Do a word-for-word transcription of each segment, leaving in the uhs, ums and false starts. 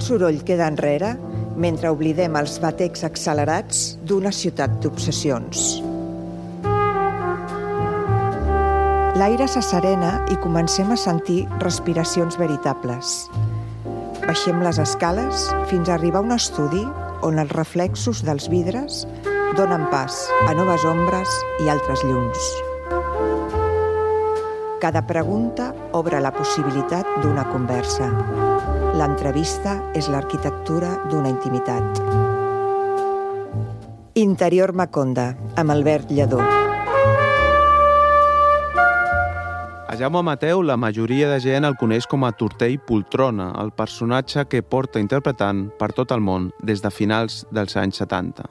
Tot soroll queda enrere mentre oblidem els batecs accelerats d'una ciutat d'obsessions. L'aire s'asserena i comencem a sentir respiracions veritables. Baixem les escales fins a arribar a un estudi on els reflexos dels vidres donen pas a noves ombres i altres llums. Cada pregunta obre la possibilitat d'una conversa. L'entrevista és l'arquitectura d'una intimitat. Interior Maconda, amb Albert Lledó. A Jaume Mateu la majoria de gent el coneix com a Tortell Poltrona, el personatge que porta interpretant per tot el món des de finals dels anys setanta.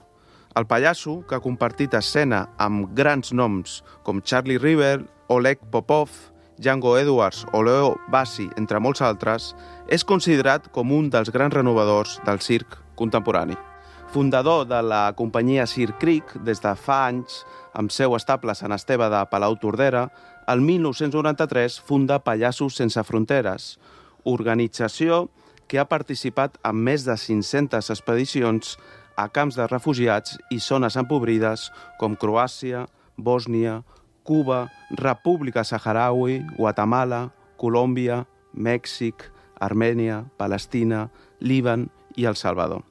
El pallasso, que ha compartit escena amb grans noms com Charlie River, Oleg Popov, Django Edwards o Leo Bassi, entre molts altres, és considerat com un dels grans renovadors del circ contemporani. Fundador de la companyia Circ Cric des de fa anys, amb seu estable a Sant Esteve de Palau-Tordera, el mil nou-cents noranta-tres funda Pallassos Sense Fronteres, organització que ha participat en més de cinc-centes expedicions a camps de refugiats i zones empobrides com Croàcia, Bòsnia, Cuba, República Saharaui, Guatemala, Colòmbia, Mèxic, Armènia, Palestina, Líban i El Salvador.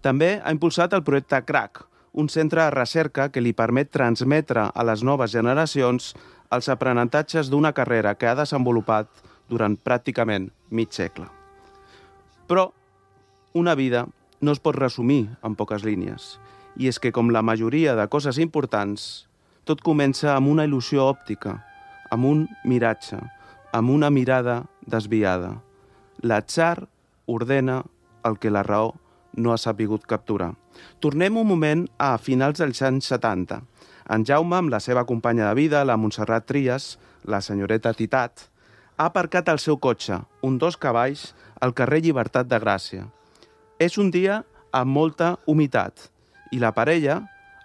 També ha impulsat el projecte CRAC, un centre de recerca que li permet transmetre a les noves generacions els aprenentatges d'una carrera que ha desenvolupat durant pràcticament mig segle. Però una vida no es pot resumir en poques línies, i és que, com la majoria de coses importants, tot comença amb una il·lusió òptica, amb un miratge, amb una mirada desviada. L'atzar ordena el que la raó no ha sabut capturar. Tornem un moment a finals dels anys setanta. En Jaume, amb la seva companya de vida, la Montserrat Trias, la senyoreta Titat, ha aparcat el seu cotxe, un dos cavalls, al carrer Llibertat de Gràcia. És un dia amb molta humitat i la parella,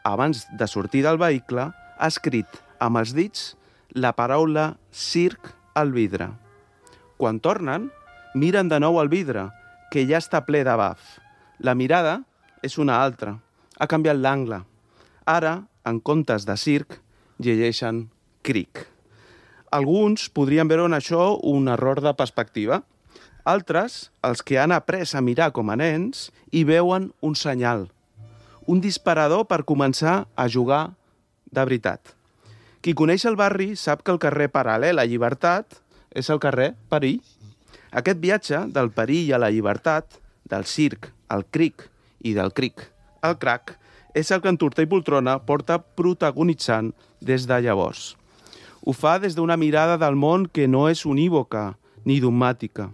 abans de sortir del vehicle, ha escrit amb els dits la paraula circ al vidre. Quan tornen, miren de nou al vidre, que ja està ple de baf. La mirada és una altra. Ha canviat l'angle. Ara, en comptes de circ, llegeixen cric. Alguns podrien veure en això un error de perspectiva. Altres, els que han après a mirar com a nens, hi veuen un senyal. Un disparador per començar a jugar de veritat. Qui coneix el barri sap que el carrer paral·lel a Llibertat és el carrer Perill. Aquest viatge del perill a la llibertat, del circ al cric i del cric al crac, és el que en Tortell Poltrona porta protagonitzant des de llavors. Ho fa des d'una mirada del món que no és unívoca ni dogmàtica.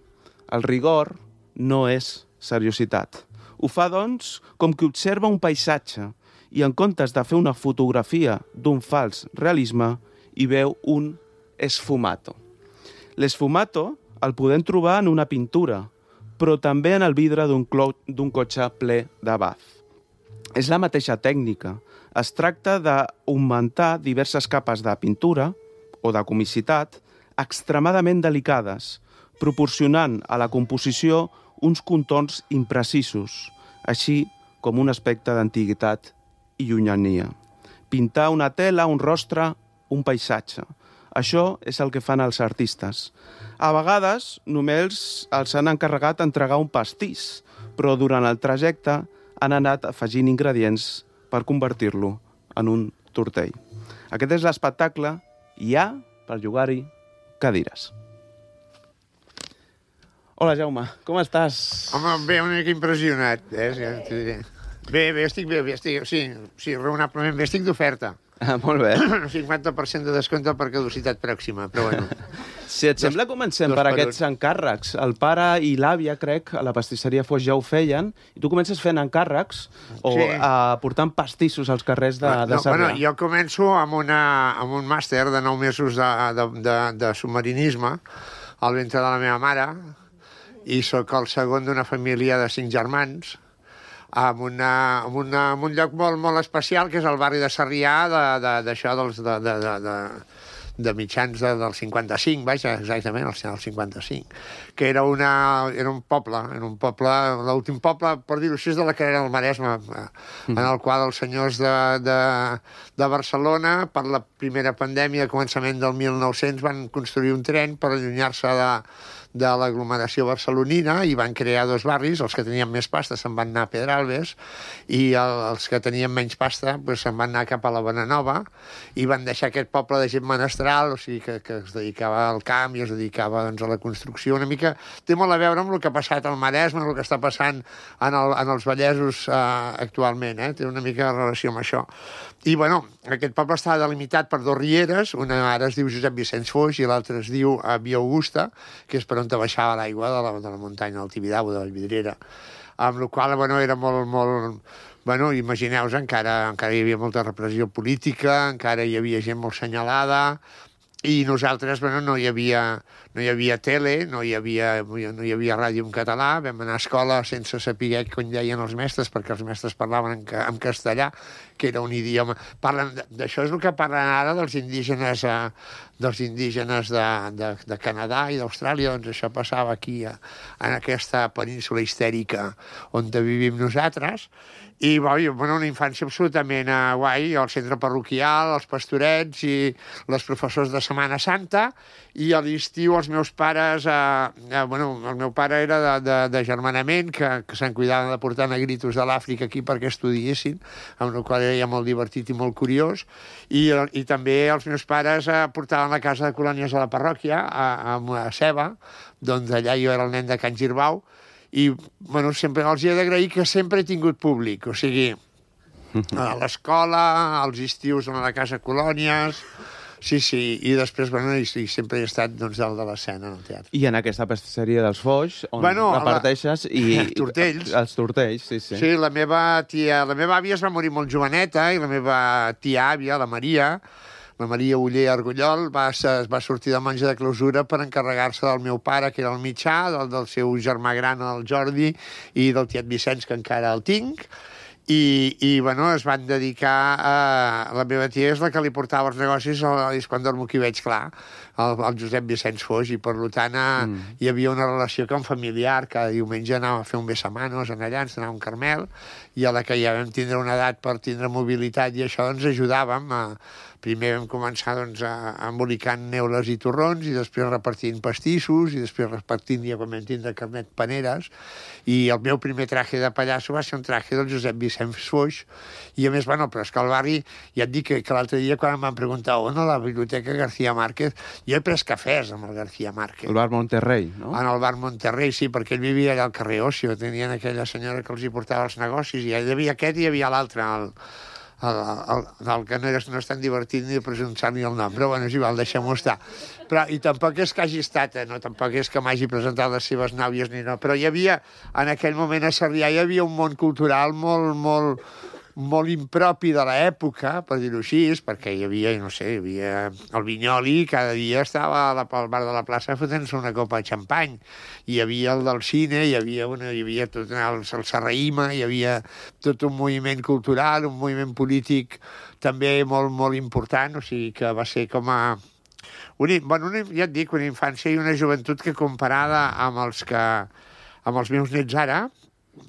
El rigor no és seriositat. Ho fa, doncs, com qui observa un paisatge i en comptes de fer una fotografia d'un fals realisme, hi veu un esfumato. L'esfumato el podem trobar en una pintura, però també en el vidre d'un d'un cotxe ple de baf. És la mateixa tècnica. Es tracta d'augmentar diverses capes de pintura o de comicitat extremadament delicades, proporcionant a la composició uns contorns imprecisos, així com un aspecte d'antiguitat i llunyania. Pintar una tela, un rostre, un paisatge. Això és el que fan els artistes. A vegades només els han encarregat d'entregar un pastís, però durant el trajecte han anat afegint ingredients per convertir-lo en un tortell. Aquest és l'espectacle i hi ha, per jugar-hi, cadires. Hola, Jaume, com estàs? Home, bé, una mica impressionat. Eh? Bé, bé, estic bé, bé estic, sí, sí, raonablement bé, estic d'oferta. Ah, molt bé. cinquanta per cent de descompte per caducitat pròxima, però bueno. Si et sembla, comencem dos per per aquests un. encàrrecs. El pare i l'àvia, crec, a la pastisseria Foix ja ho feien, i tu comences fent encàrrecs o Sí. uh, portant pastissos als carrers de, de no, Sarrià. bueno, jo començo amb, una, amb un màster de nou mesos de, de, de, de submarinisme al ventre de la meva mare, i sóc el segon d'una família de cinc germans, amb, una, amb, una, amb un lloc molt, molt especial, que és el barri de Sarrià, d'això, de, de, dels, de, de, de, de, de mitjans de, del cinquanta-cinc, vaja, exactament, el, el cinquanta-cinc, que era, una, era un poble, era un poble, l'últim poble, per dir-ho així, de la carrera del Maresme, en el qual els senyors de, de, de Barcelona, per la primera pandèmia, a començament del mil nou-cents, van construir un tren per allunyar-se de, de l'aglomeració barcelonina i van crear dos barris. Els que tenien més pasta se'n van anar a Pedralbes i el, els que tenien menys pasta pues, se'n van anar cap a la Bonanova i van deixar aquest poble de gent menestral, o sigui, que, que es dedicava al camp i es dedicava doncs, a la construcció. Una mica té molt a veure amb el que ha passat al Maresme, el que està passant en, el, en els Vallesos eh, actualment, eh? Té una mica de relació amb això. I, bueno, aquest poble estava delimitat per dos rieres, una ara es diu Josep Vicenç Foix i l'altra es diu Via Augusta, que és per on baixava l'aigua de, la, de la muntanya del Tibidabo, de Vallvidrera. Amb la qual bueno, era molt, molt... Bueno, imagineu-vos, encara, encara hi havia molta repressió política, encara hi havia gent molt senyalada, i nosaltres, bueno, no hi havia, no hi havia tele, no hi havia, no hi havia ràdio en català, vam anar a escola sense saber com deien els mestres, perquè els mestres parlaven en, en castellà, que era un idioma... Parlen, d'això és el que parlen ara dels indígenes, eh, dels indígenes de, de, de Canadà i d'Austràlia, doncs això passava aquí, a, en aquesta península histèrica on vivim nosaltres, i bueno, una infància absolutament uh, guai, al centre parroquial, els pastorets i les professors de Setmana Santa, i a l'estiu els meus pares, uh, uh, bueno, el meu pare era de, de, de germanament, que, que se'n cuidaven de portar negritos de l'Àfrica aquí perquè estudiessin, amb el qual era molt divertit i molt curiós, i, i també els meus pares uh, portaven la casa de colònies a la parròquia, a, a, a Ceba, doncs allà jo era el nen de Can Girbau, i bueno, sempre els he d'agrair que sempre he tingut públic, o sigui, a l'escola, als estius a la casa colònies, sí, sí, i després, bueno, i, i sempre he estat doncs, dalt de l'escena en el teatre. I en aquesta pastisseria dels Foix, on bueno, reparteixes i... Tortells. Els tortells, sí, sí. Sí, la meva tia, la meva àvia es va morir molt joveneta, i la meva tia àvia, la Maria, la Maria Oller Argullol, va, es va sortir de monja de clausura per encarregar-se del meu pare, que era el mitjà, del, del seu germà gran, el Jordi, i del tiet Vicenç, que encara el tinc, i, i bueno, es van dedicar a... La meva tia és la que li portava els negocis, és quan dormo aquí veig clar, el, el Josep Vicenç Foix, i per tant mm. hi havia una relació com familiar, cada diumenge anàvem a fer un besamanos en allà, ens anàvem a un Carmel, i a la que ja vam tindre una edat per tindre mobilitat i això, ens ajudàvem a... Primer vam començar doncs, a, embolicant neules i torrons, i després repartint pastissos, i després repartint, ja quan vam tindre carnet, paneres, i el meu primer traje de pallasso va ser un traje del Josep Vicenç Foix, i a més, bueno, però és que al barri, ja et dic que, que l'altre dia quan em van preguntar on a la biblioteca García Márquez, jo he pres cafès amb el García Márquez. El bar Monterrey, no? En el bar Monterrey, sí, perquè ell vivia allà al carrer Ocio, tenien aquella senyora que els hi portava els negocis, i hi havia aquest i hi havia l'altre, el... El, el, el que no és, no és tan divertit ni de presentar-li el nom, però bueno, és igual, deixem-ho estar. Però, i tampoc és que hagi estat, eh, no, tampoc és que m'hagi presentat les seves nàvies ni no, però hi havia, en aquell moment a Sarrià hi havia un món cultural molt, molt, molt impropi de l'època, per dir-ho així, perquè hi havia, no sé, hi havia el Vinyoli, cada dia estava al bar de la plaça fotent-se una copa de xampany, hi havia el del cine, hi havia, una, hi havia tot el, el Serraïma, hi havia tot un moviment cultural, un moviment polític també molt, molt important, o sigui que va ser com a... Una, bueno, una, ja et dic, una infància i una joventut que comparada amb els que amb els meus nets ara,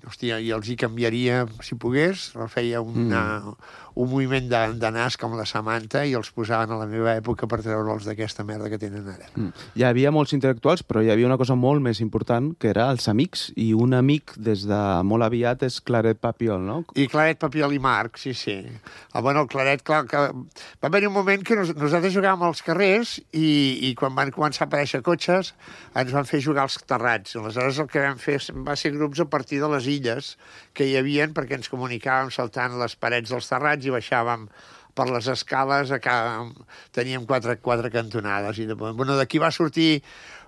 hòstia, i els hi canviaria, si pogués, feia una, mm. un moviment de, de nas com la Samantha i els posaven a la meva època per treure'ls d'aquesta merda que tenen ara. Mm. Hi havia molts intel·lectuals, però hi havia una cosa molt més important, que era els amics, i un amic des de molt aviat és Claret Papiol, no? I Claret Papiol i Marc, sí, sí. El, bueno, el Claret, clar, que... va haver un moment que nos, nosaltres jugàvem als carrers i, i quan van començar a aparèixer cotxes ens van fer jugar als terrats. Aleshores el que vam fer va ser grups a partir de les illes que hi havien, perquè ens comunicàvem saltant les parets dels terrats i baixàvem per les escales, a cada... teníem quatre, quatre cantonades. I de... bueno, d'aquí va sortir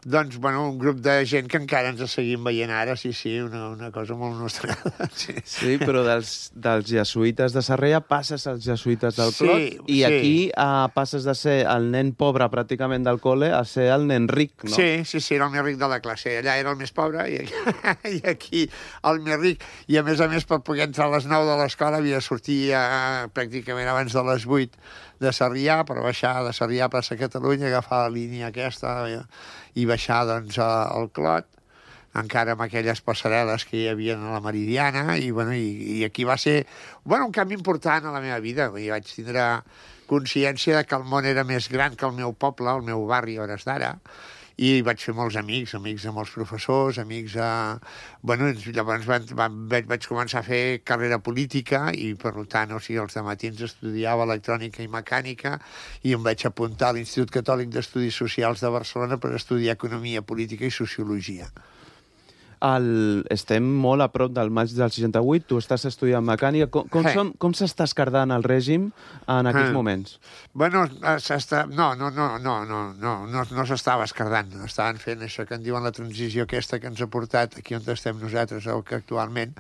doncs, bueno, un grup de gent que encara ens seguim veient ara, sí, sí, una, una cosa molt nostrada. Sí, sí però dels, dels jesuïtes de Sarrià passes als jesuïtes del Clot, sí, i sí. aquí uh, passes de ser el nen pobre pràcticament del col·le a ser el nen ric, no? Sí, sí, sí, era el més ric de la classe. Allà era el més pobre i aquí, i aquí el més ric. I a més a més, per poder entrar a les nou de l'escola havia de sortir uh, pràcticament abans de les vuit de Sarrià, per baixar de Sarrià a plaça Catalunya, agafar la línia aquesta i, i baixar doncs, al Clot, encara amb aquelles passarel·les que hi havia a la Meridiana, i, bueno, i, i aquí va ser bueno, un canvi important a la meva vida. I vaig tindre consciència de que el món era més gran que el meu poble, el meu barri, a hores d'ara, i vaig fer molts amics, amics de molts professors, amics de... Bueno, llavors van, van, vaig començar a fer carrera política i, per tant, o sigui, els dematins estudiava electrònica i mecànica i em vaig apuntar a l'Institut Catòlic d'Estudis Socials de Barcelona per estudiar economia política i sociologia. El... Estem molt a prop del maig del seixanta-vuit, tu estàs estudiant mecànica. Com, com, som, com s'està escardant el règim en aquests eh. moments? Bueno, s'està... No, no, no, no, no, no, no, no s'estava escardant. Estaven fent això que en diuen la transició aquesta que ens ha portat aquí on estem nosaltres actualment,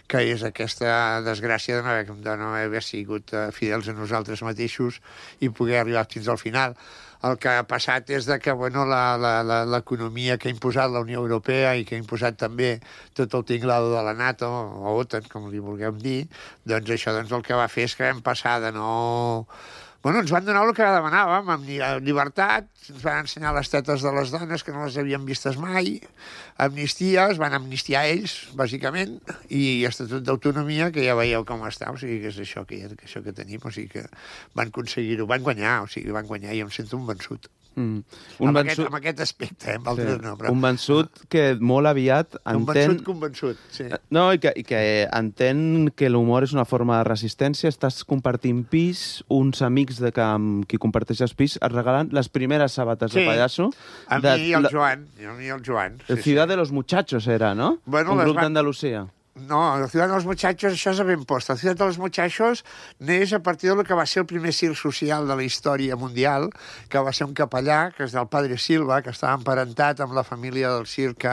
que és aquesta desgràcia de no haver, de no haver sigut fidels a nosaltres mateixos i poder arribar fins al final. El que ha passat és de que bueno, l'economia que ha imposat la Unió Europea i que ha imposat també tot el tinglado de la NATO, o OTAN, com li vulguem dir, doncs això doncs, el que va fer és que vam passar de no... Bueno, ens van donar el que demanàvem, amb llibertat, ens van ensenyar les tetes de les dones que no les havien vistes mai, amnistia, es van amnistiar ells, bàsicament, i estatut d'autonomia, que ja veieu com està, o sigui, que és això que, que, això que tenim, o sigui, que van aconseguir-ho, van guanyar, o sigui, van guanyar, i em sento un vençut. Mm. Un amb, vençut... aquest, amb aquest aspecte, eh, amb altres sí. no. Però... Un vençut que molt aviat entén... Un vençut convençut, sí. No, i que, i que entén que l'humor és una forma de resistència, estàs compartint pis, uns amics de que, amb qui comparteixes pis et regalen les primeres sabates sí. de pallasso. A de... mi i el Joan, a mi i el Joan. El sí, Ciudad sí. de los Muchachos era, no? Bueno, un grup van... d'Andalusia. No, la Ciutat dels Muchachos, això és a ben post. La Ciutat dels Muchachos neix a partir del que va ser el primer circ social de la història mundial, que va ser un capellà, que és del Padre Silva, que estava emparentat amb la família del circ,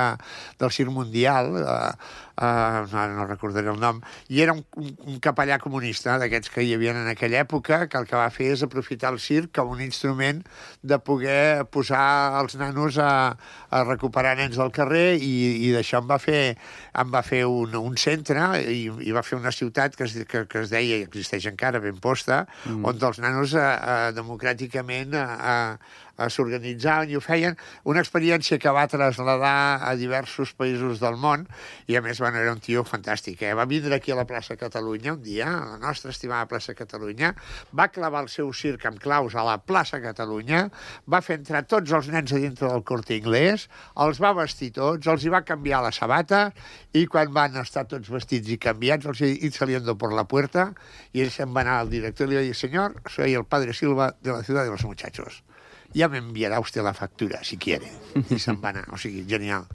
del circ mundial, eh, Uh, no, no recordaré el nom, i era un, un, un capellà comunista d'aquests que hi havia en aquella època, que el que va fer és aprofitar el circ com un instrument de poder posar els nanos a, a recuperar nens del carrer, i, i d'això em va fer, em va fer un, un centre i, i va fer una ciutat que es, que, que es deia, i existeix encara, ben posta, mm. on els nanos uh, uh, democràticament uh, uh, s'organitzaven i ho feien, una experiència que va traslladar a diversos països del món, i a més bueno, era un tio fantàstic. Eh? Va vindre aquí a la plaça Catalunya un dia, a la nostra estimada plaça Catalunya, va clavar el seu circ amb claus a la plaça Catalunya, va fer entrar tots els nens a dintre del Corte Inglés, els va vestir tots, els hi va canviar la sabata, i quan van estar tots vestits i canviats, els hi saliendo por la puerta, i ell se'n va anar al director i li va dir: «Senyor, soy el Padre Silva de la Ciudad de los Muchachos. Ja m'enviarà usted la factura, si quiere». I se'n va anar. O sigui, genial.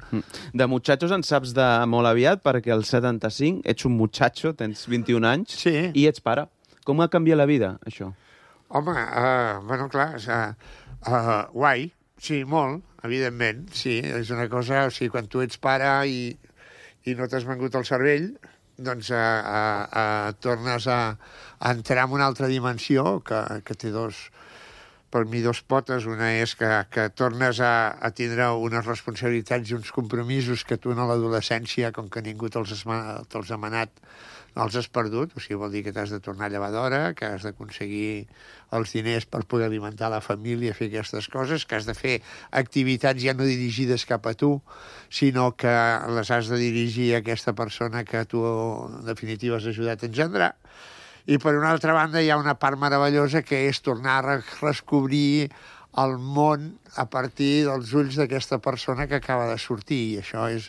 De Muchachos en saps de molt aviat, perquè al setanta-cinc ets un muchacho, tens vint-i-un anys, sí. i ets pare. Com ha canviat la vida, això? Home, uh, bueno, clar, uh, uh, guai, sí, molt, evidentment, sí, és una cosa, o sigui, quan tu ets pare i, i no t'has vengut el cervell, doncs uh, uh, uh, tornes a, a entrar en una altra dimensió que, que té dos... per mi dos potes. Una és que, que tornes a, a tindre unes responsabilitats i uns compromisos que tu en l'adolescència, com que ningú te'ls te ha manat, els has perdut. O sigui, vol dir que t'has de tornar a llevar d'hora, que has d'aconseguir els diners per poder alimentar la família, fer aquestes coses, que has de fer activitats ja no dirigides cap a tu, sinó que les has de dirigir a aquesta persona que tu, en definitiva, has ajudat a engendrar. I, per una altra banda, hi ha una part meravellosa que és tornar a redescobrir el món a partir dels ulls d'aquesta persona que acaba de sortir. I això és,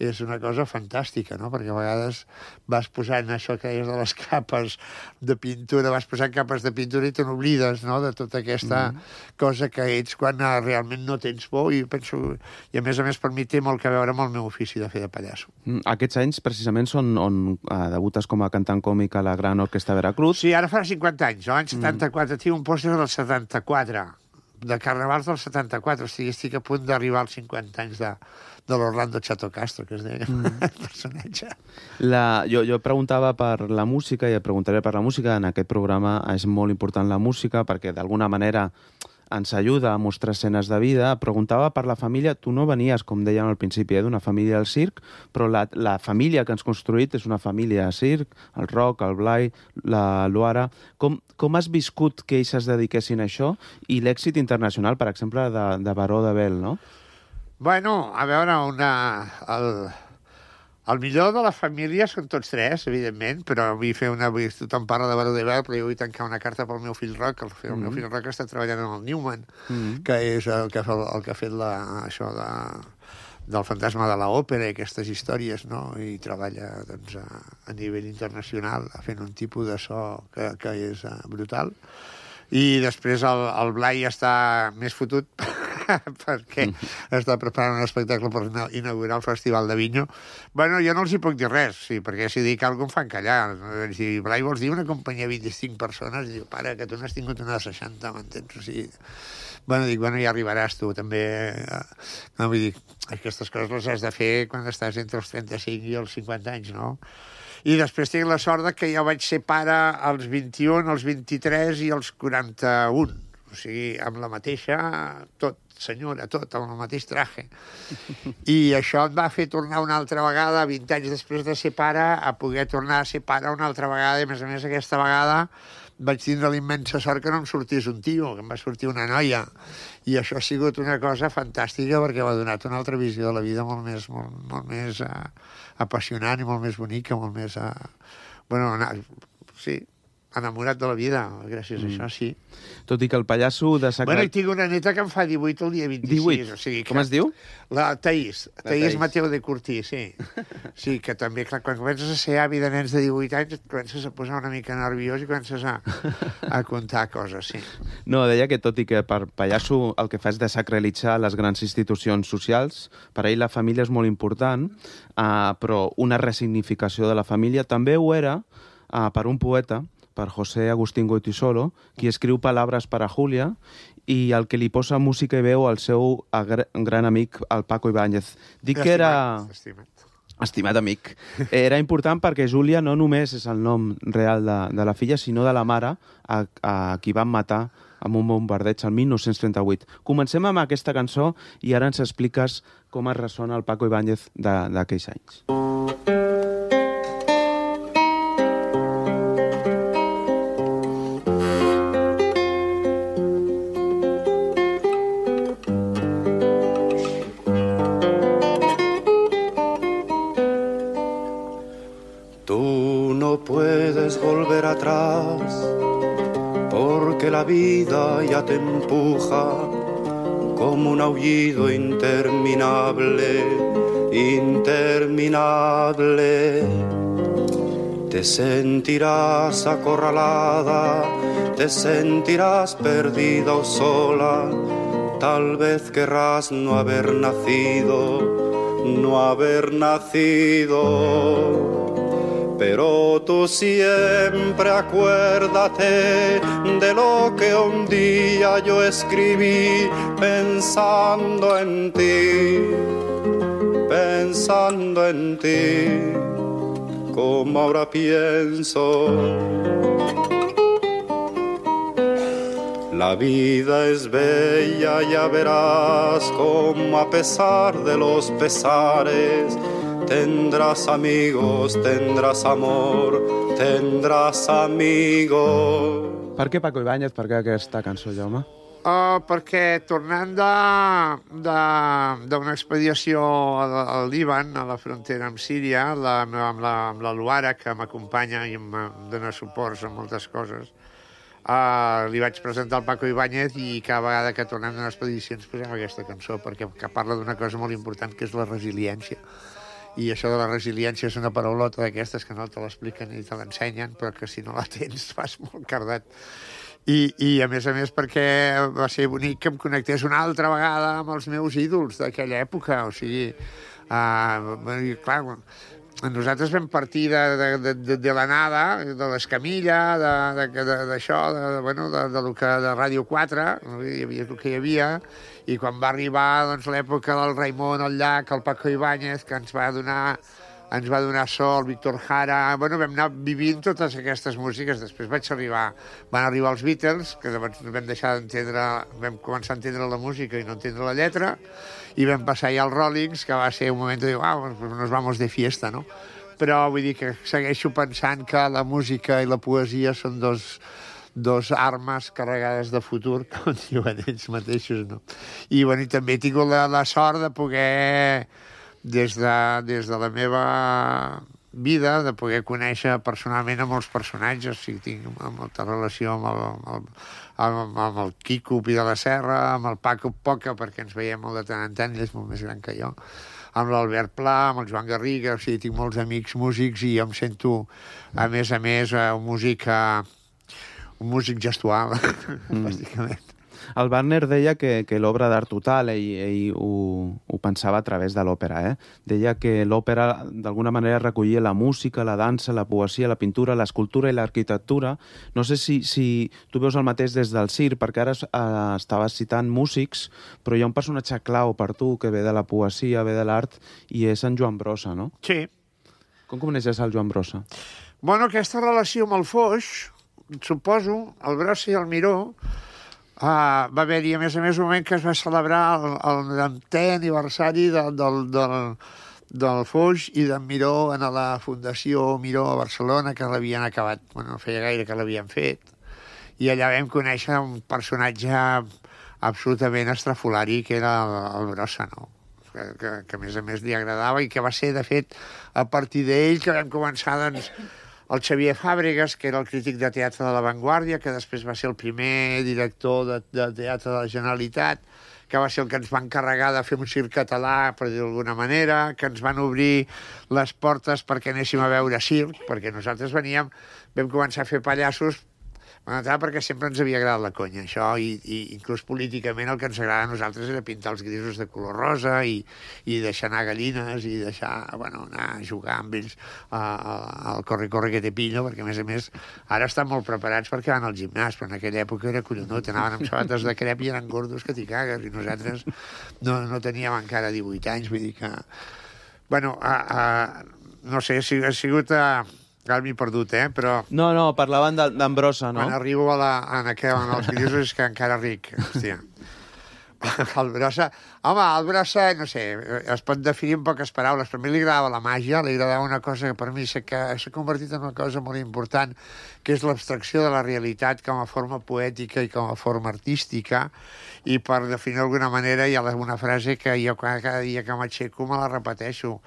és una cosa fantàstica, no? Perquè a vegades vas posant això que deies de les capes de pintura, vas posant capes de pintura i te n'oblides, no?, de tota aquesta mm-hmm. cosa que ets quan realment no tens por. I penso, i a més a més per mi té molt que veure amb el meu ofici de fer de pallasso. Mm, aquests anys precisament són on uh, debutes com a cantant còmic a la Gran Orquestra Veracruz. Sí, ara farà cinquanta anys. L'any setanta-quatre mm. tinc un pòster del setanta-quatre. de Carnavals del setanta-quatre, o sigui, estic a punt d'arribar als cinquanta anys de, de l'Orlando Chato Castro, que es deia mm. el personatge. La, jo, jo preguntava per la música i et preguntaré per la música. En aquest programa és molt important la música perquè d'alguna manera ens ajuda a mostrar escenes de vida. Preguntava per la família. Tu no venies, com dèiem al principi, eh, d'una família del circ, però la, la família que ens construït és una família de circ, el Roc, el Blai, la Luara. Com, com has viscut que ells es dediquessin a això i l'èxit internacional, per exemple, de, de Baró de Bel, no? Bueno, a veure, una... El... El millor de la família són tots tres, evidentment, però vull fer una... Vull, tothom parla de Baró de Bel, però jo vull tancar una carta pel meu fill Roc. El, el mm. meu fill Roc està treballant en el Newman, mm. que és el que, el que ha fet la, això de, del fantasma de l'òpera i aquestes històries, no? I treballa doncs, a, a nivell internacional fent un tipus de so que, que és uh, brutal. I després el, el Blai està més fotut perquè mm. està preparant un espectacle per inaugurar el Festival de Vinyo. Bueno, jo no els hi puc dir res, sí, perquè si dic alguna cosa em fan callar. Si Blai, vols dir una companyia de vint-i-cinc persones? Diu, pare, que tu n'has tingut una de seixanta, m'entens? O sigui... Bueno, dic, bueno, ja arribaràs tu, també. No, vull dir, aquestes coses les has de fer quan estàs entre els trenta-cinc i els cinquanta anys, no? I després tinc la sort que jo vaig ser pare als vint-i-un, als vint-i-tres i als quaranta-un. O sigui, amb la mateixa, tot, senyora, tot, amb el mateix traje. I això em va fer tornar una altra vegada, vint anys després de ser pare, a poder tornar a ser pare una altra vegada. I, a més a més, aquesta vegada vaig tindre la immensa sort que no em sortís un tio, que em va sortir una noia. I això ha sigut una cosa fantàstica perquè m'ha donat una altra visió de la vida molt més, molt, molt més uh, apassionant i molt més bonica, molt més... Uh, bueno, sí, enamorat de la vida, gràcies mm. a això, sí. Tot i que el pallasso de Sacra... Bueno, i tinc una neta que em fa divuit el dia vint-i-sis. divuit? O sigui que... Com es diu? La Taís. La Taís Taís Mateu de Curtí, sí. Sí, que també, clar, quan comences a ser avi de nens de divuit anys, et comences a posar una mica nerviós i comences a, a contar coses, sí. No, deia que tot i que per pallasso el que fa és desacralitzar les grans institucions socials, per ell la família és molt important, uh, però una resignificació de la família també ho era uh, per un poeta, per José Agustín Goytisolo, qui escriu Palabras para Julia i el que li posa música i veu al seu gran amic, el Paco Ibáñez. Dic que era... Estimat. Estimat amic. Era important perquè Júlia no només és el nom real de, de la filla, sinó de la mare a, a qui van matar amb un bombardeig el mil nou-cents trenta-vuit. Comencem amb aquesta cançó i ara ens expliques com es ressona el Paco Ibáñez d'aquells anys. Atrás, porque la vida ya te empuja como un aullido interminable, interminable. Te sentirás acorralada, te sentirás perdida o sola, tal vez querrás no haber nacido, no haber nacido. Pero tú siempre acuérdate de lo que un día yo escribí pensando en ti, pensando en ti, como ahora pienso. La vida es bella, ya verás cómo a pesar de los pesares tendrás amigos, tendrás amor, tendràs amigos. Per què Paco Ibáñez? Per què aquesta cançó, Jaume? Uh, perquè tornant d'una expedició al Líban, a la frontera amb Síria, la, amb, la, amb la Luara, que m'acompanya i em dona suports a moltes coses, uh, li vaig presentar al Paco Ibáñez i cada vegada que tornem d'una expedició ens posem aquesta cançó, perquè que parla d'una cosa molt important, que és la resiliència. I això de la resiliència és una paraulota d'aquestes que no te l'expliquen ni te l'ensenyen, però que si no la tens fas molt cardat. I, I, a més a més, perquè va ser bonic que em connectés una altra vegada amb els meus ídols d'aquella època. O sigui, uh, clar, nosaltres vam partir de, de, de, de la nada, de l'Escamilla, d'això, de, de, bueno, de, de, de, de Ràdio quatre, hi havia el que hi havia, i quan va arribar doncs, l'època del Raimon, el Llach, el Paco Ibáñez, que ens va donar ens va donar so, el Víctor Jara... Bueno, vam anar vivint totes aquestes músiques. Després vaig arribar... Van arribar els Beatles, que llavors vam deixar d'entendre... Vam començar a entendre la música i no entendre la lletra, i vam passar ja als Rollings, que va ser un moment de dir, uau, nos vamos de fiesta, no? Però vull dir que segueixo pensant que la música i la poesia són dos, dos armes carregades de futur, com diuen ells mateixos, no? I, bueno, i també he tingut la, la sort de poder... Des de, des de la meva vida, de poder conèixer personalment a molts personatges. O sigui, tinc molta relació amb el, amb, amb, amb el Quico Pi de la Serra, amb el Paco Poca, perquè ens veiem molt de tant en tant, ell és molt més gran que jo, amb l'Albert Pla, amb el Joan Garriga. O sigui, tinc molts amics músics i jo em sento, a més a més, un músic, un músic gestual, mm. bàsicament. El Wagner deia que, que l'obra d'art total, ell, ell ho, ho pensava a través de l'òpera, eh? Deia que l'òpera d'alguna manera recollia la música, la dansa, la poesia, la pintura, l'escultura i l'arquitectura. No sé si, si tu veus el mateix des del circ, perquè ara eh, estaves citant músics, però hi ha un personatge clau per tu que ve de la poesia, ve de l'art, i és en Joan Brossa, no? Sí. Com coneixes el Joan Brossa? Bueno, aquesta relació amb el Foix, suposo, el Brossa i el Miró, Uh, va haver-hi, a més a més, un moment que es va celebrar el, el noventè aniversari del, del, del, del Foix i d'en Miró en la Fundació Miró a Barcelona, que l'havien acabat, bueno, no feia gaire que l'havien fet, i allà vam conèixer un personatge absolutament estrafolari, que era el, el Brossa, no? Que, que, que a més a més li agradava i que va ser, de fet, a partir d'ell que vam començar, doncs, el Xavier Fàbregas, que era el crític de teatre de La Vanguardia, que després va ser el primer director de, de teatre de la Generalitat, que va ser el que ens va encarregar de fer un circ català, per dir-ho d'alguna manera, que ens van obrir les portes perquè anéssim a veure circ, perquè nosaltres veníem, vam començar a fer pallassos, bueno, perquè sempre ens havia agradat la conya, això, i, i inclús políticament el que ens agrada a nosaltres era pintar els grisos de color rosa i, i deixar anar gallines i deixar, bueno, anar a jugar amb ells al corre-corre que te pillo, perquè a més a més ara estan molt preparats perquè van al gimnàs, però en aquella època era collonut, anaven amb sabates de crep i eren gordos que t'hi cagues, i nosaltres no, no teníem encara divuit anys, vull dir que... Bueno, a, a, no sé, ha sigut... A, ara m'he perdut, eh? Però... No, no, parlaven d'en Brossa, no? Quan arribo a la, en aquell, en els grisos és que encara ric, hòstia. El Brossa... Home, el Brossa, no sé, es pot definir en poques paraules, però a mi li agradava la màgia, li agradava una cosa que per mi s'ha convertit en una cosa molt important, que és l'abstracció de la realitat com a forma poètica i com a forma artística, i per definir d'alguna manera hi ha una frase que jo cada dia que m'aixeco me la repeteixo.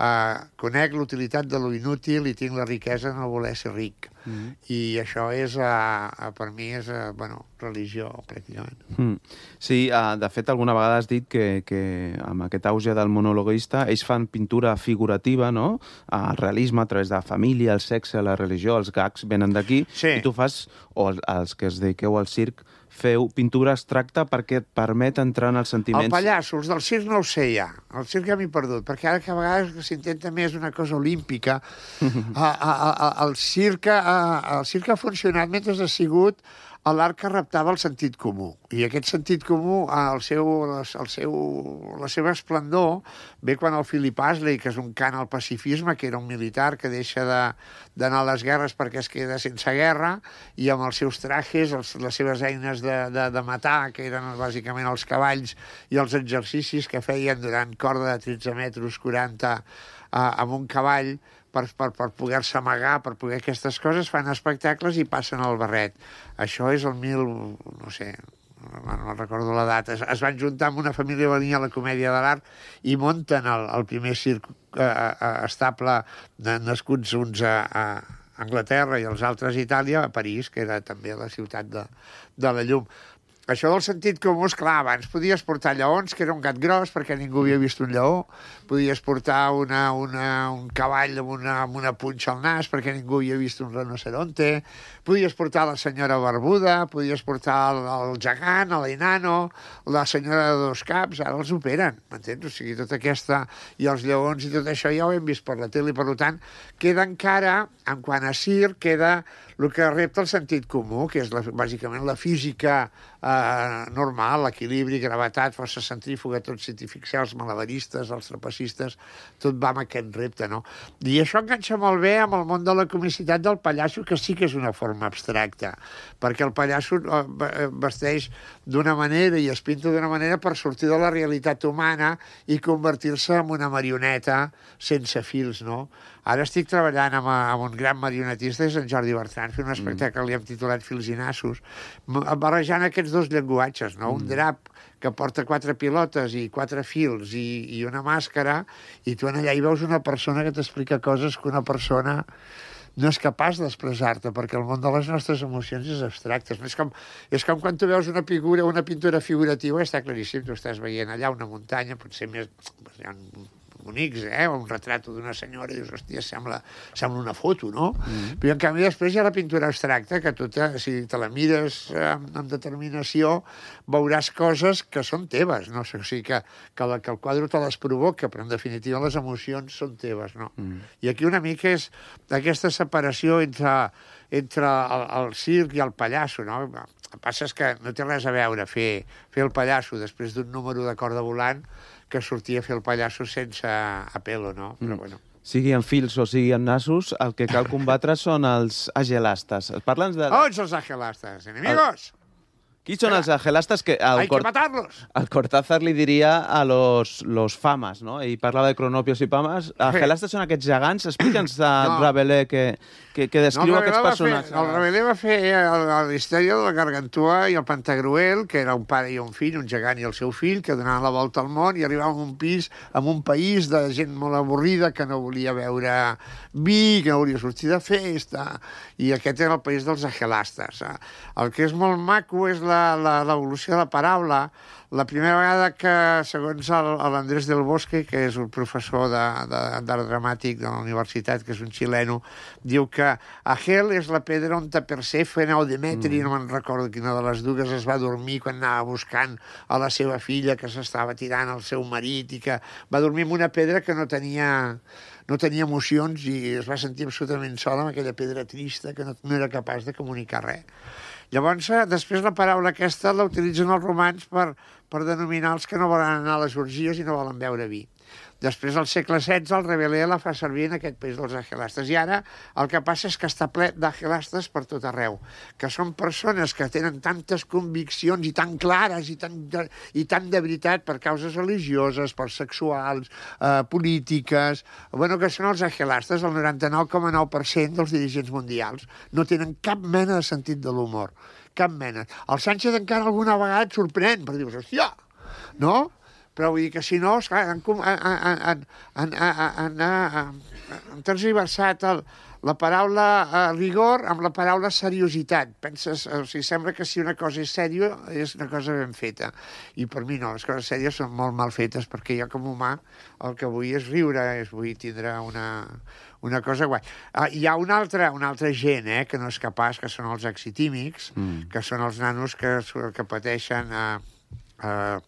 Uh, conec l'utilitat de lo inútil i tinc la riquesa de no voler ser ric. Mm. I això és, uh, per mi, és, uh, bueno, religió, pràcticament. Mm. Sí, uh, de fet, alguna vegada has dit que, que amb aquest auge del monologuista ells fan pintura figurativa, no? El realisme a través de la família, el sexe, la religió, els gags venen d'aquí, sí. I tu fas, o els, els que es dediqueu al circ, feu pintura abstracta perquè et permet entrar en els sentiments... El pallasso, els del circ no ho sé ja. El circ ja m'he perdut, perquè ara que a vegades s'intenta més una cosa olímpica. a, a, a, el, circ, a, el circ ha funcionat mentre ha sigut l'art que raptava el sentit comú. I aquest sentit comú, el seu, el seu, la seva esplendor, ve quan el Philip Astley, que és un cant al pacifisme, que era un militar que deixa d'anar a les guerres perquè es queda sense guerra, i amb els seus trajes, els, les seves eines de, de, de matar, que eren bàsicament els cavalls, i els exercicis que feien durant corda de tretze metres quaranta eh, amb un cavall, per, per, per poder-se amagar, per poder aquestes coses, fan espectacles i passen al barret. Això és el mil... no sé, no, no recordo la data. Es, es van juntar amb una família que venia a la Comèdia de l'Art i munten el, el primer circ eh, eh, estable, de, nascuts uns a, a Anglaterra i els altres a Itàlia, a París, que era també la ciutat de, de la llum. això del sentit comú, esclar, abans podies portar lleons, que era un gat gros, perquè ningú havia vist un lleó, podies portar una, una, un cavall amb una, amb una punxa al nas, perquè ningú havia vist un rinoceronte, podies portar la senyora barbuda, podies portar el, el gegant, l'enano, la senyora de dos caps, ara els operen, m'entens? O sigui, tota aquesta, i els lleons i tot això ja ho hem vist per la tele, i per tant, queda encara, en quant a circ, queda el que repta el sentit comú, que és la, bàsicament la física eh, normal, l'equilibri, gravetat, força centrífuga, tot si t'hi fixeu, els malabaristes, els trapecistes, tot va amb aquest repte, no? I això enganxa molt bé amb el món de la comicitat del pallasso, que sí que és una forma abstracta, perquè el pallasso vesteix d'una manera i es pinta d'una manera per sortir de la realitat humana i convertir-se en una marioneta sense fils, no? Ara estic treballant amb, amb un gran marionetista, és en Jordi Bertran, fent un espectacle que li hem titulat Fils i nassos, barrejant aquests dos llenguatges, no? Un drap que porta quatre pilotes i quatre fils i, i una màscara, i tu allà hi veus una persona que t'explica coses que una persona no és capaç d'expressar-te, perquè el món de les nostres emocions és abstracte. És com, és com quan tu veus una figura, una pintura figurativa, està claríssim, tu estàs veient allà una muntanya, potser més... Hi ha bonics, eh? O un retrat d'una senyora, i dius, hòstia, sembla, sembla una foto, no? Mm. Però, en canvi, després hi ha la pintura abstracta, que tu, te, si te la mires amb, amb determinació, veuràs coses que són teves, no? O sigui, que, que, la, que el quadre te les provoca, però, en definitiva, les emocions són teves, no? Mm. I aquí una mica és aquesta separació entre, entre el, el circ i el pallasso, no? El que passa és que no té res a veure fer, fer el pallasso després d'un número de corda volant que sortia a fer el pallasso sense apel·lo, no? Però, bueno. Sigui en fils o sigui en nassos, el que cal combatre són els agelastes. Parla'ns de... On són els agelastes, enemigos? El... Qui són els agelastes que... El Hay que matarlos. El Cortázar li diria a los, los famas, no? Ell parlava de cronopios i famas. Agelastes són aquests gegants. Explica'ns a no. Rabelais que, que, que descriu no, aquests personatges. Fer, el Rabelais va fer la història de la Gargantua i el Pantagruel, que era un pare i un fill, un gegant i el seu fill, que donaven la volta al món i arribaven a un pis, a un país de gent molt avorrida que no volia veure vi, que no volia sortir de festa. I aquest era el país dels agelastes. El que és molt maco és l'evolució de la paraula. La primera vegada que, segons l'Andrés del Bosque, que és un professor d'art dramàtic de la universitat, que és un xileno, diu que Agel és la pedra on Persèfone o Demetri, mm. no me'n recordo quina de les dues, es va dormir quan anava buscant a la seva filla, que s'estava tirant al seu marit, i que va dormir en una pedra que no tenia... no tenia emocions i es va sentir absolutament sola amb aquella pedra trista que no, no era capaç de comunicar res. Llavors, després la paraula aquesta la utilitzen els romans per, per denominar els que no volen anar a les orgies i no volen beure vi. Després, al segle setze, el Rabelais la fa servir en aquest país dels agelastes. I ara el que passa és que està ple d'agelastes per tot arreu, que són persones que tenen tantes conviccions i tan clares i tan de, i tan de veritat per causes religioses, per sexuals, eh, polítiques... Bueno, que són els agelastes, el noranta-nou coma nou per cent dels dirigents mundials. No tenen cap mena de sentit de l'humor. Cap mena. El Sánchez encara alguna vegada et sorprèn, per dir, hòstia, no? Però vull dir que si no, esclar, han, han, han, han, han, han, han tergiversat el, la paraula eh, rigor amb la paraula seriositat. Penses, o sigui, sembla que si una cosa és sèrio és una cosa ben feta. I per mi no, les coses sèries són molt mal fetes, perquè jo com a humà el que vull és riure, és vull tindre una, una cosa guai. Uh, hi ha una altra, una altra gent eh, que no és capaç, que són els exitímics, mm. que són els nanos que, que pateixen... Uh, uh,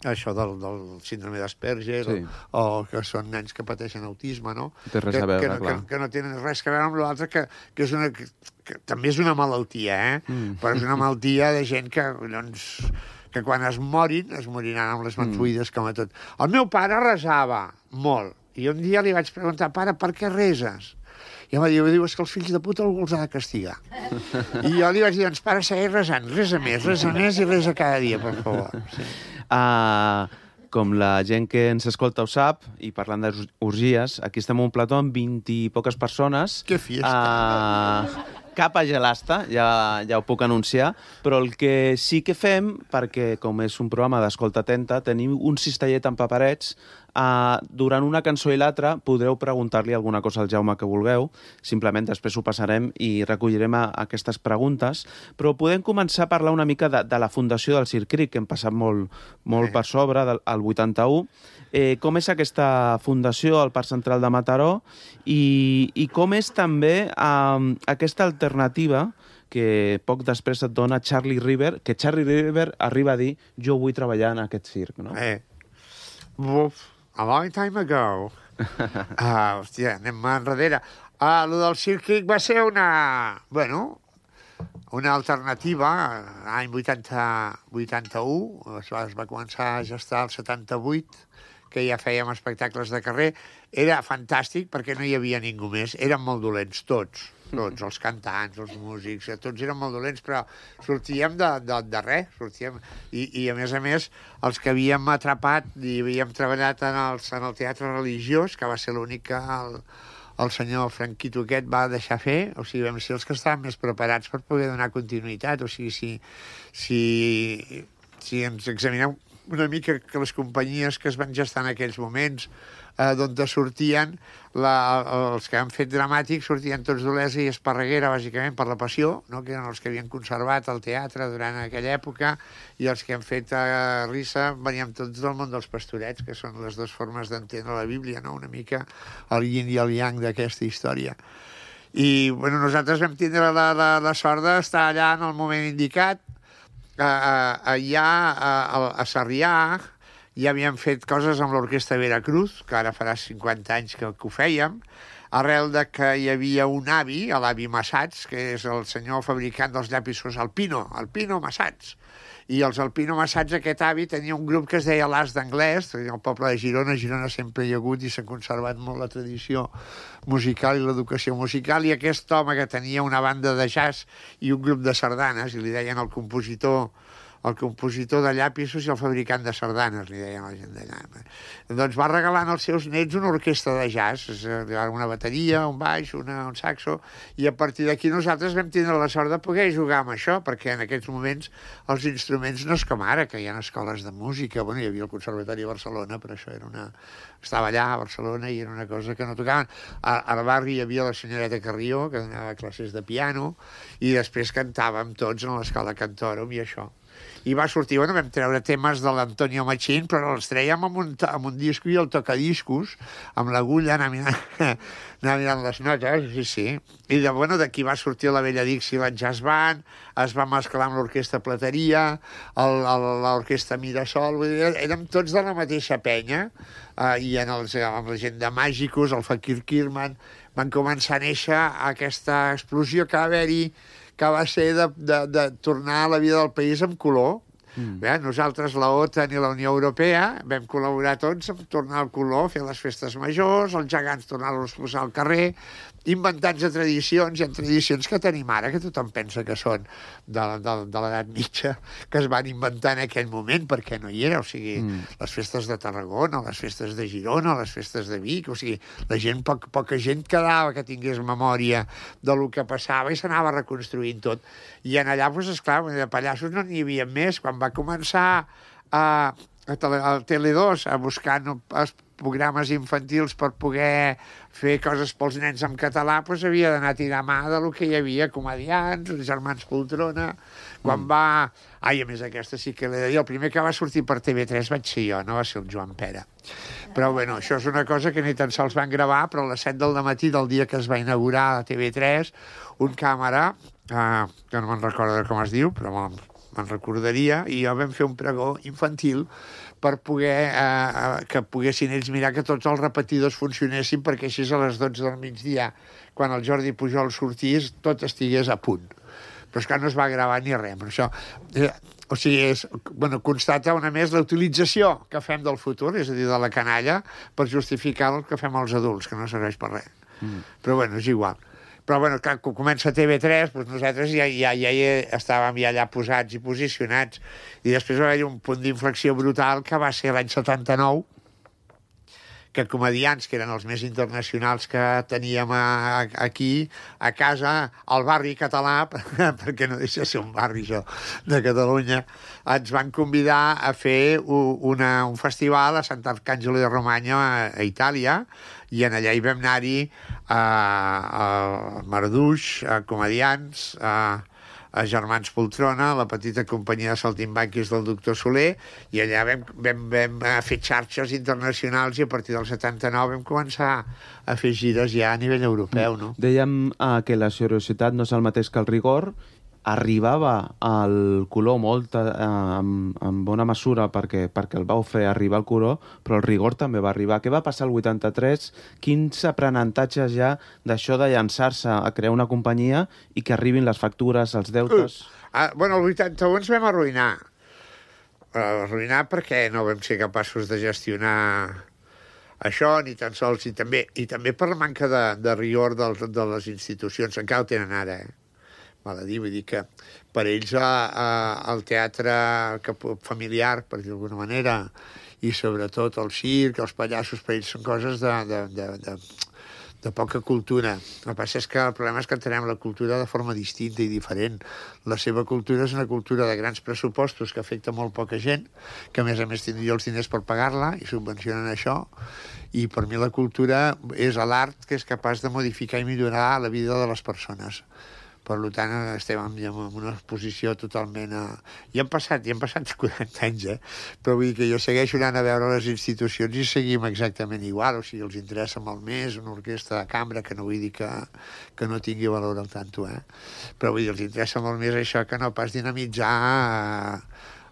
això del, del síndrome d'Asperger, sí. o, o que són nens que pateixen autisme, no? Té res que, a veure, que, clar. Que, que no tenen res a veure amb l'altre, que, que, és una, que, que també és una malaltia, eh? Mm. Però és una malaltia de gent que, doncs, que quan es morin, es moriran amb les mans buides, mm. com a tot. El meu pare resava molt, i un dia li vaig preguntar, pare, per què reses? I em va dir, diu, és que els fills de puta algú els ha de castigar. I jo li vaig dir, doncs, pare, segueix resant, resa més, resa més i resa cada dia, per favor. Sí. Uh, com la gent que ens escolta ho sap, i parlant d'orgies, aquí estem en un plató amb vint i poques persones. Que fiesta! Uh, cap a gelasta, ja, ja ho puc anunciar, però el que sí que fem, perquè com és un programa d'escolta atenta, tenim un cistellet amb paperets. Uh, durant una cançó i l'altra podreu preguntar-li alguna cosa al Jaume que vulgueu, simplement després ho passarem i recollirem a, a aquestes preguntes, però podem començar a parlar una mica de, de la fundació del Circ Cric, que hem passat molt, molt per sobre, del, al vuitanta-u. Eh, com és aquesta fundació al Parc Central de Mataró i, i com és també uh, aquesta alternativa que poc després et dona Charlie River, que Charlie River arriba a dir jo vull treballar en aquest circ, no? Eh, buf. A long time ago. Uh, hòstia, anem enrere. Uh, lo del Circ Cric va ser una... Bueno, una alternativa. L'any vuitanta-u es va, es va començar a gestar el setanta-vuit, que ja fèiem espectacles de carrer. Era fantàstic perquè no hi havia ningú més. Eren molt dolents, tots. Tots, els cantants, els músics, tots eren molt dolents, però sortíem de, de, de res, sortíem... I, I, a més a més, els que havíem atrapat i havíem treballat en, els, en el teatre religiós, que va ser l'únic que el, el senyor Franquito aquest va deixar fer, o sigui, vam ser els que estaven més preparats per poder donar continuïtat, o sigui, si, si, si ens examinem una mica que les companyies que es van gestar en aquells moments, eh, d'on sortien, la, els que han fet dramàtics sortien tots d'Olesa i Esparreguera, bàsicament, per la Passió, no? Que eren els que havien conservat el teatre durant aquella època, i els que han fet eh, Rissa venien tots del món dels pastorets, que són les dues formes d'entendre la Bíblia, no? Una mica el yin i el yang d'aquesta història. I bueno, nosaltres vam tindre la, la, la sort d'estar allà en el moment indicat. Uh, uh, allà uh, a Sarrià ja havíem fet coses amb l'Orquestra Veracruz, que ara farà cinquanta anys que, que ho fèiem, arrel de que hi havia un avi, l'avi Massats, que és el senyor fabricant dels llapisos Alpino, Alpino Massats. I els Alpino Massats, aquest avi, tenia un grup que es deia l'As d'Anglès, el poble de Girona. A Girona sempre hi ha hagut i s'ha conservat molt la tradició musical i l'educació musical, i aquest home que tenia una banda de jazz i un grup de sardanes, i li deien el compositor el compositor de llapisos i el fabricant de sardanes, li deien a la gent d'allà. Doncs va regalant als seus nets una orquestra de jazz, una bateria, un baix, una, un saxo, i a partir d'aquí nosaltres vam tindre la sort de poder jugar amb això, perquè en aquests moments els instruments no és com ara, que hi ha escoles de música. Bueno, hi havia el Conservatori de Barcelona, però això era una... Estava allà a Barcelona i era una cosa que no tocaven. Al barri hi havia la senyoreta Carrió, que donava classes de piano, i després cantàvem tots en l'escola Cantòrum i això. I va sortir, bueno, vam treure temes de l'Antonio Machín, però els trèiem amb un, amb un disco i el tocadiscos, amb l'agulla, anar mirant, anar mirant les notes, sí, sí. I de, bueno, d'aquí va sortir la Vella Dixieland Jazz Band, es va mesclar amb l'Orquestra Plateria, l'Orquestra Mirasol, vull dir, érem tots de la mateixa penya, eh, i en els, amb la gent de Màgicos, el Fakir Kirman, van començar a néixer aquesta explosió que va haver-hi, que va ser de, de, de tornar a la vida del país amb color. Mm. Bé, nosaltres, la OTAN i la Unió Europea, vam col·laborar tots en tornar al color, fer les festes majors, els gegants tornar-los a posar al carrer, inventats de tradicions, i en tradicions que tenim ara, que tothom pensa que són de, de, de l'edat mitja, que es van inventar en aquell moment, perquè no hi era. O sigui, mm. les festes de Tarragona, les festes de Girona, les festes de Vic, o sigui, la gent, poc, poca gent quedava que tingués memòria de lo que passava i s'anava reconstruint tot. I en allà, doncs, esclar, de pallassos no n'hi havia més. Quan va començar a, a, tele, a Tele dos a buscar no, els programes infantils per poder fer coses pels nens en català, doncs havia d'anar a tirar mà del que hi havia, comediants, els germans Poltrona. Quan mm. va... Ai, a més, aquesta sí que l'he de dir. El primer que va sortir per T V tres vaig ser jo, no va ser el Joan Pera. Però, bueno, això és una cosa que ni tan sols van gravar, però a les set del matí del dia que es va inaugurar a T V tres, un càmera, eh, que no me'n recordo com es diu, però me'n recordaria, i jo vam fer un pregó infantil per poder eh, que poguessin ells mirar que tots els repetidors funcionessin, perquè així a les dotze del migdia, quan el Jordi Pujol sortís, tot estigués a punt. Però és que no es va gravar ni res. Però això, eh, o sigui, és, bueno, constata una més la utilització que fem del futur, és a dir, de la canalla, per justificar el que fem els adults, que no serveix per res. Mm. Però, bueno, és igual. Però, bueno, clar, quan comença T V tres, doncs nosaltres ja, ja, ja hi estàvem ja allà posats i posicionats. I després va haver-hi un punt d'inflexió brutal, que va ser l'any setanta-nou, que comedians, que eren els més internacionals que teníem a, a, aquí, a casa, al barri català, perquè no deixa de ser un barri, això, de Catalunya, ens van convidar a fer una, un festival a Sant'Arcangelo de Romagna, a, a Itàlia, i en allà hi vam anar-hi a, a Marduix, a comedians, a a Germans Poltrona, la petita companyia de saltimbanquis del doctor Soler, i allà vam, vam, vam fer xarxes internacionals i a partir del setanta-nou vam començar a fer gires ja a nivell europeu, no? Dèiem uh, que la seriositat no és el mateix que el rigor. Arribava al color molt eh, en, en bona mesura perquè, perquè el vau fer arribar al color, però el rigor també va arribar. Què va passar el vuitanta-tres? Quins aprenentatges ja d'això de llançar-se a crear una companyia i que arribin les factures, els deutes? Uh, ah, bueno, el vuitanta-u ens vam arruïnar. Uh, arruïnar perquè no vam ser capaços de gestionar això, ni tan sols, i també, i també per la manca de, de rigor de, de les institucions. Encara ho tenen ara, eh? Val a dir, vull dir que per ells a, a, el teatre que, familiar, per dir d'alguna manera, i sobretot el circ, els pallassos, per ells són coses de, de, de, de, de poca cultura. El que passa és que el problema és que entenem la cultura de forma distinta i diferent. La seva cultura és una cultura de grans pressupostos que afecta molt poca gent, que a més a més tindria els diners per pagar-la i subvencionen això, i per mi la cultura és l'art que és capaç de modificar i millorar la vida de les persones. Per tant, estem en una posició totalment... Ja han passat, ja han passat quaranta anys, eh? Però vull dir que jo segueixo anant a veure les institucions i seguim exactament igual. O sigui, els interessa molt més una orquestra de cambra, que no vull dir que, que no tingui valor al tanto, eh? Però vull dir, els interessa molt més això que no pas dinamitzar a,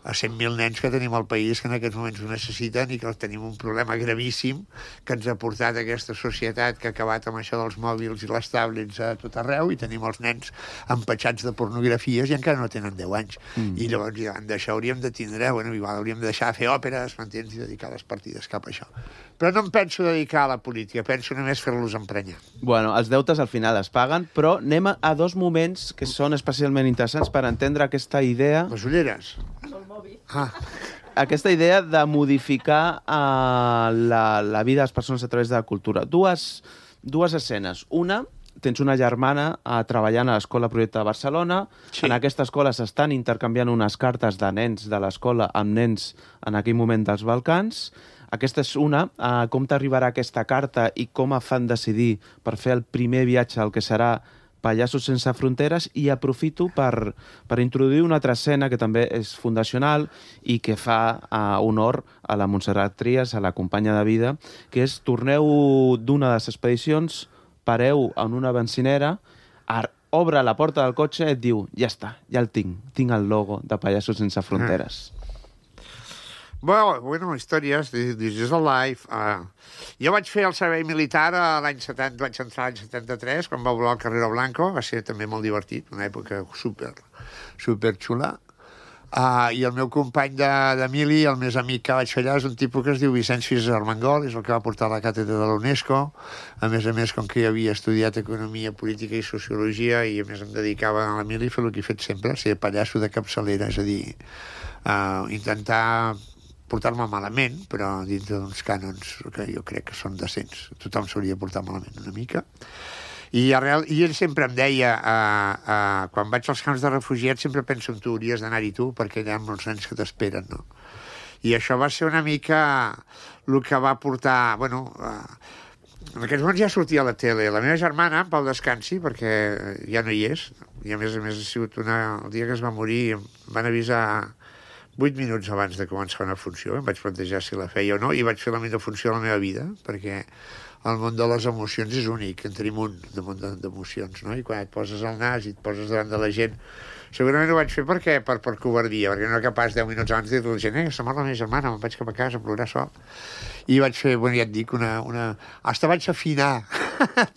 a cent mil nens que tenim al país que en aquests moments ho necessiten i que tenim un problema gravíssim que ens ha portat a aquesta societat que ha acabat amb això dels mòbils i les tablets a tot arreu i tenim els nens empatxats de pornografies i encara no tenen deu anys. Mm. I llavors davant d'això hauríem de tindre, bueno, igual hauríem de deixar de fer òperes, m'entens, i dedicar les partides cap a això. Però no em penso dedicar a la política, penso només fer-los emprenyar. Bueno, els deutes al final es paguen, però anem a dos moments que són especialment interessants per entendre aquesta idea... Les ulleres. Ah. Aquesta idea de modificar uh, la, la vida de les persones a través de la cultura. Dues, dues escenes. Una, tens una germana uh, treballant a l'Escola Projecte de Barcelona. Sí. En aquesta escola s'estan intercanviant unes cartes de nens de l'escola amb nens en aquell moment dels Balcans. Aquesta és una. Uh, com t'arribarà aquesta carta i com et fan decidir per fer el primer viatge al que serà Pallassos sense fronteres, i aprofito per, per introduir una altra escena que també és fundacional i que fa uh, honor a la Montserrat Trias, a la companya de vida, que és torneu d'una de les expedicions, pareu en una bencinera, obre la porta del cotxe i et diu, ja està, ja el tinc, tinc el logo de Pallassos sense fronteres. Ah. Bueno, bueno, històries, this is a life. Uh, jo vaig fer el servei militar l'any setanta, vaig entrar l'any setanta-tres, quan va volar el Carrero Blanco, va ser també molt divertit, una època super, super xula. Uh, I el meu company de, de mili, el més amic que vaig fer allà, és un tipus que es diu Vicenç Fis Armengol, és el que va portar la càtedra de la UNESCO. A més a més, com que jo havia estudiat Economia, Política i Sociologia, i a més em dedicava a la mili a fer el que he fet sempre, ser pallasso de capçalera, és a dir, uh, intentar portar-me malament, però dintre d'uns cànons que jo crec que són decents. Tothom s'hauria de portar malament una mica. I, arrel, i ell sempre em deia, uh, uh, quan vaig als camps de refugiats, sempre penso en tu, hauries d'anar-hi tu, perquè hi ha molts nens que t'esperen, no? I això va ser una mica el que va portar... Bueno, uh, en aquests moments ja sortia a la tele. La meva germana, en Pau Descansi, perquè ja no hi és, i a més a més ha sigut una... El dia que es va morir em van avisar vuit minuts abans de començar una funció, em vaig plantejar si la feia o no, i vaig fer la millor funció de la meva vida, perquè el món de les emocions és únic, en tenim un de món d'emocions, no? I quan et poses al nas i et poses davant de la gent, segurament ho vaig fer perquè, per, per covardia, perquè no era capaç deu minuts abans de dir a la gent, eh, se mor la meva germana, me'n vaig cap a casa a plorar sol. I vaig fer, bueno, ja et dic, una... una... Hasta vaig afinar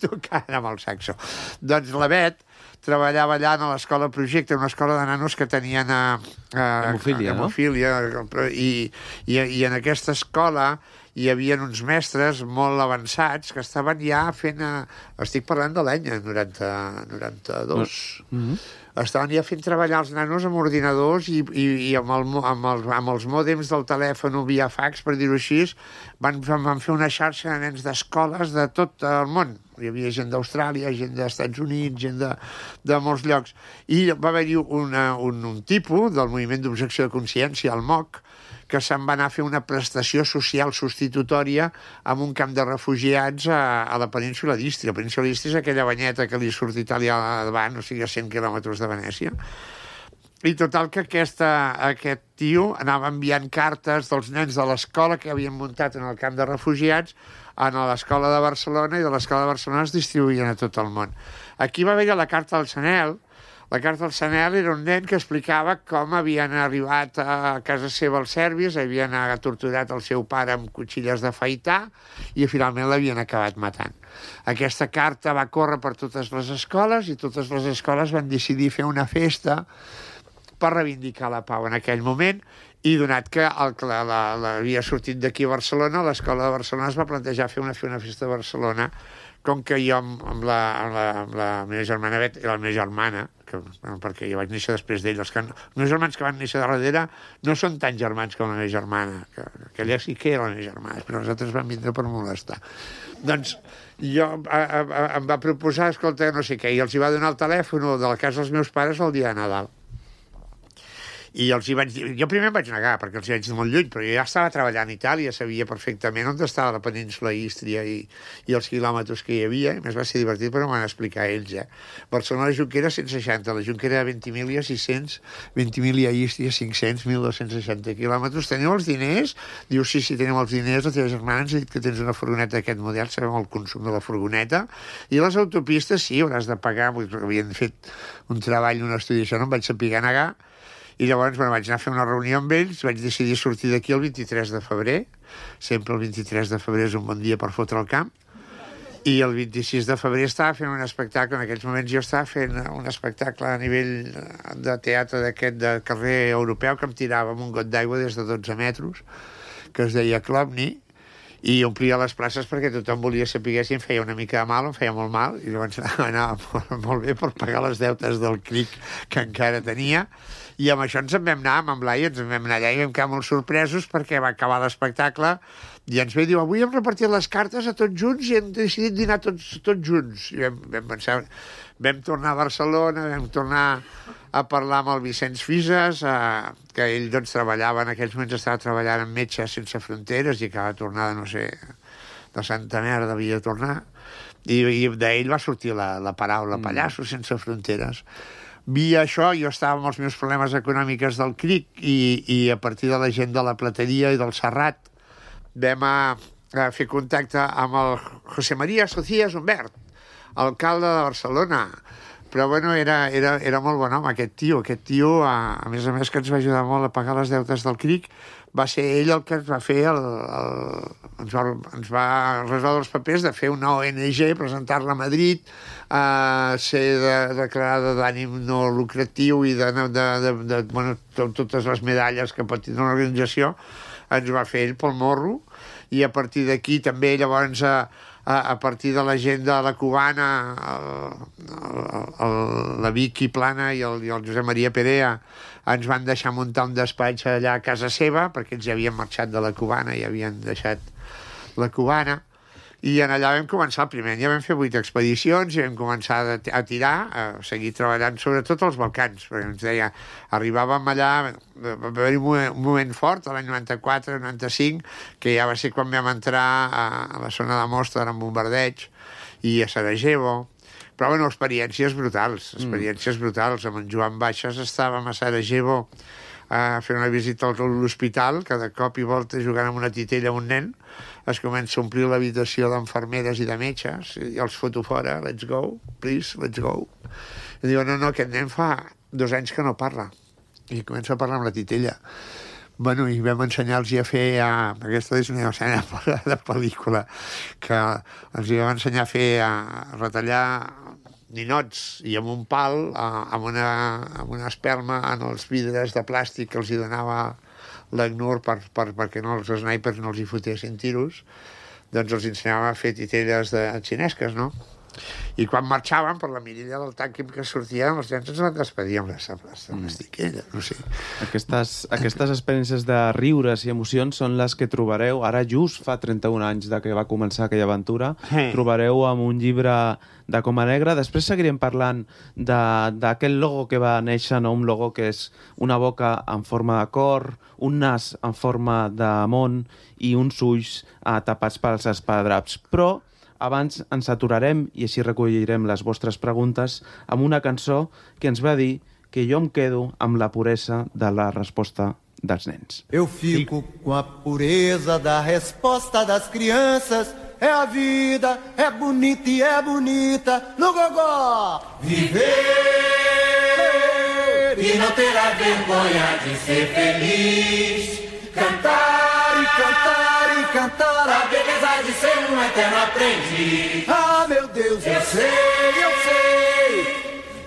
tocant amb el saxo. Doncs la Bet treballava allà a l'Escola Projecte, una escola de nanos que tenien a, a, hemofília, a, hemofília, no? I, i, i en aquesta escola hi havia uns mestres molt avançats que estaven ja fent... A... Estic parlant de l'any noranta, noranta-dos. Mm-hmm. Estaven ja fent treballar els nanos amb ordinadors i, i, i amb, el, amb, el, amb els mòdems del telèfon via fax, per dir-ho així, van, van fer una xarxa de nens d'escoles de tot el món. Hi havia gent d'Austràlia, gent dels Estats Units, gent de, de molts llocs. I va haver-hi una, un, un tipus del moviment d'objecció de consciència, el M O C, que se'n va anar a fer una prestació social substitutòria en un camp de refugiats a, a la península d'Ístria. La península d'Ístria és aquella banyeta que li surt Itàlia davant, o sigui, a cent quilòmetres de Venècia. I total que aquesta, aquest tio anava enviant cartes dels nens de l'escola que havien muntat en el camp de refugiats a l'escola de Barcelona, i de l'escola de Barcelona es distribuïen a tot el món. Aquí va haver la carta del Sanel. La carta del Sanel era un nen que explicava com havien arribat a casa seva els serbis, havien torturat el seu pare amb cuchilles d'afaitar i finalment l'havien acabat matant. Aquesta carta va córrer per totes les escoles i totes les escoles van decidir fer una festa per reivindicar la pau en aquell moment, i donat que el, la, la, la, havia sortit d'aquí a Barcelona, l'escola de Barcelona es va plantejar fer una, fer una festa a Barcelona, com que jo amb, amb, la, amb, la, amb la meva germana Bet i la meva germana, que, bueno, perquè jo vaig néixer després d'ell, els, que, els meus germans que van néixer de darrere no són tan germans com la meva germana, que, que ella sí que era la meva germana, però els altres van vindre per molestar. Doncs jo a, a, em va proposar, escolta, no sé què, i els hi va donar el telèfon de la casa dels meus pares el dia de Nadal. I els hi vaig dir... Jo primer em vaig negar, perquè els hi vaig dir molt lluny, però jo ja estava treballant a Itàlia, sabia perfectament on estava la península Ístria i, i els quilòmetres que hi havia, i més va ser divertit, però m'ho van explicar ells, eh? Barcelona la Junquera cent seixanta, la Junquera Ventimiglia sis cents, Ventimiglia Ístria cinc cents, mil dos-cents seixanta quilòmetres. Teniu els diners? Diu, sí, sí, tenim els diners, la teva germana ens ha dit que tens una furgoneta d'aquest model, sabem el consum de la furgoneta, i les autopistes, sí, hauràs de pagar, havien fet un treball, un estudi, això no em vaig saber negar. I llavors bueno, vaig anar a fer una reunió amb ells, vaig decidir sortir d'aquí el vint-i-tres de febrer, sempre el vint-i-tres de febrer és un bon dia per fotre el camp, i el vint-i-sis de febrer estava fent un espectacle, en aquells moments jo estava fent un espectacle a nivell de teatre d'aquest de carrer europeu que em tirava amb un got d'aigua des de dotze metres, que es deia Klopni, i omplia les places perquè tothom volia saber si em feia una mica de mal o em feia molt mal, i llavors anava molt, molt bé per pagar les deutes del C R I C que encara tenia. I amb això ens en vam anar, amb en Blai, ens en vam anar allà i vam quedar molt sorpresos perquè va acabar l'espectacle i ens ve i diu, avui hem repartit les cartes a tots junts i hem decidit dinar tots, tots junts. I vam, vam pensar, vam tornar a Barcelona, vam tornar a parlar amb el Vicenç Fises, eh, que ell doncs treballava, en aquells moments estava treballant amb Metges Sense Fronteres i acaba de tornar de, no sé, de Santa Merda havia de tornar, i, i d'ell va sortir la, la paraula Pallassos Sense Fronteres. Via això, jo estava amb els meus problemes econòmics del C R I C i, i a partir de la gent de la Plateria i del Serrat vam a, a fer contacte amb el José María Socias Humbert, alcalde de Barcelona. Però bueno, era, era, era molt bon home aquest tio. Aquest tio, a, a més a més que ens va ajudar molt a pagar les deutes del C R I C, va ser ell el que ens va fer el, el, ens, va, ens va resoldre els papers de fer una O N G, presentar-la a Madrid, eh, ser de, declarada d'ànim no lucratiu i de, de, de, de bueno, totes les medalles que pot tenir una organització, ens va fer ell pel morro, i a partir d'aquí també llavors a, a, a partir de la gent de la Cubana, el, el, el, la Vicky Plana i el, i el Josep Maria Perea ens van deixar muntar un despatx allà a casa seva, perquè ells ja havien marxat de la Cubana i havien deixat la Cubana, i en allà vam començar el primer any, ja vam fer vuit expedicions i vam començar a tirar, a seguir treballant sobretot als Balcans, perquè ens deia, arribàvem allà, va haver un moment, un moment fort, l'any noranta-quatre noranta-cinc, que ja va ser quan vam entrar a, a la zona de Mostar amb bombardeig, i a Sarajevo, però bueno, experiències brutals, experiències mm. brutals. Amb en Joan Baixes estàvem a Sarajevo a fer una visita a l'hospital, que de cop i volta jugant amb una titella amb un nen, es comença a omplir l'habitació d'enfermeres i de metges, i els foto fora, let's go, please, let's go. I diu, no, no, aquest nen fa dos anys que no parla, i comença a parlar amb la titella. Bueno, i vam ensenyar-los a fer... A... Aquesta és una escena de pel·lícula, que els vam ensenyar a fer, a retallar ninots i amb un pal, amb una, amb una espelma en els vidres de plàstic que els hi donava l'Agnur per, per, perquè no, els snipers no els hi fotessin tiros, doncs els ensenyava a fer titelles de xinesques, no? I quan marxàvem per la mirilla del tanc que sortien, els nens ens van despedir amb les estiquelles, no sé. Aquestes, aquestes experiències de riures i emocions són les que trobareu, ara just fa trenta-un anys de que va començar aquella aventura, sí. Trobareu amb un llibre de Coma Negra. Després seguirem parlant d'aquest logo que va néixer, no? Un logo que és una boca en forma de cor, un nas en forma de món i uns ulls eh, tapats pels esparadraps. Però abans ens aturarem i així recollirem les vostres preguntes amb una cançó que ens va dir que jo em quedo amb la puresa de la resposta dels nens. Eu fico com a pureza da resposta das crianças. É a vida, é bonita e é bonita. No gogó! Viver e não ter a vergonha de ser feliz. Cantar e cantar e cantar a beleza de ser um eterno aprendiz. Ah, meu Deus, eu sei, eu sei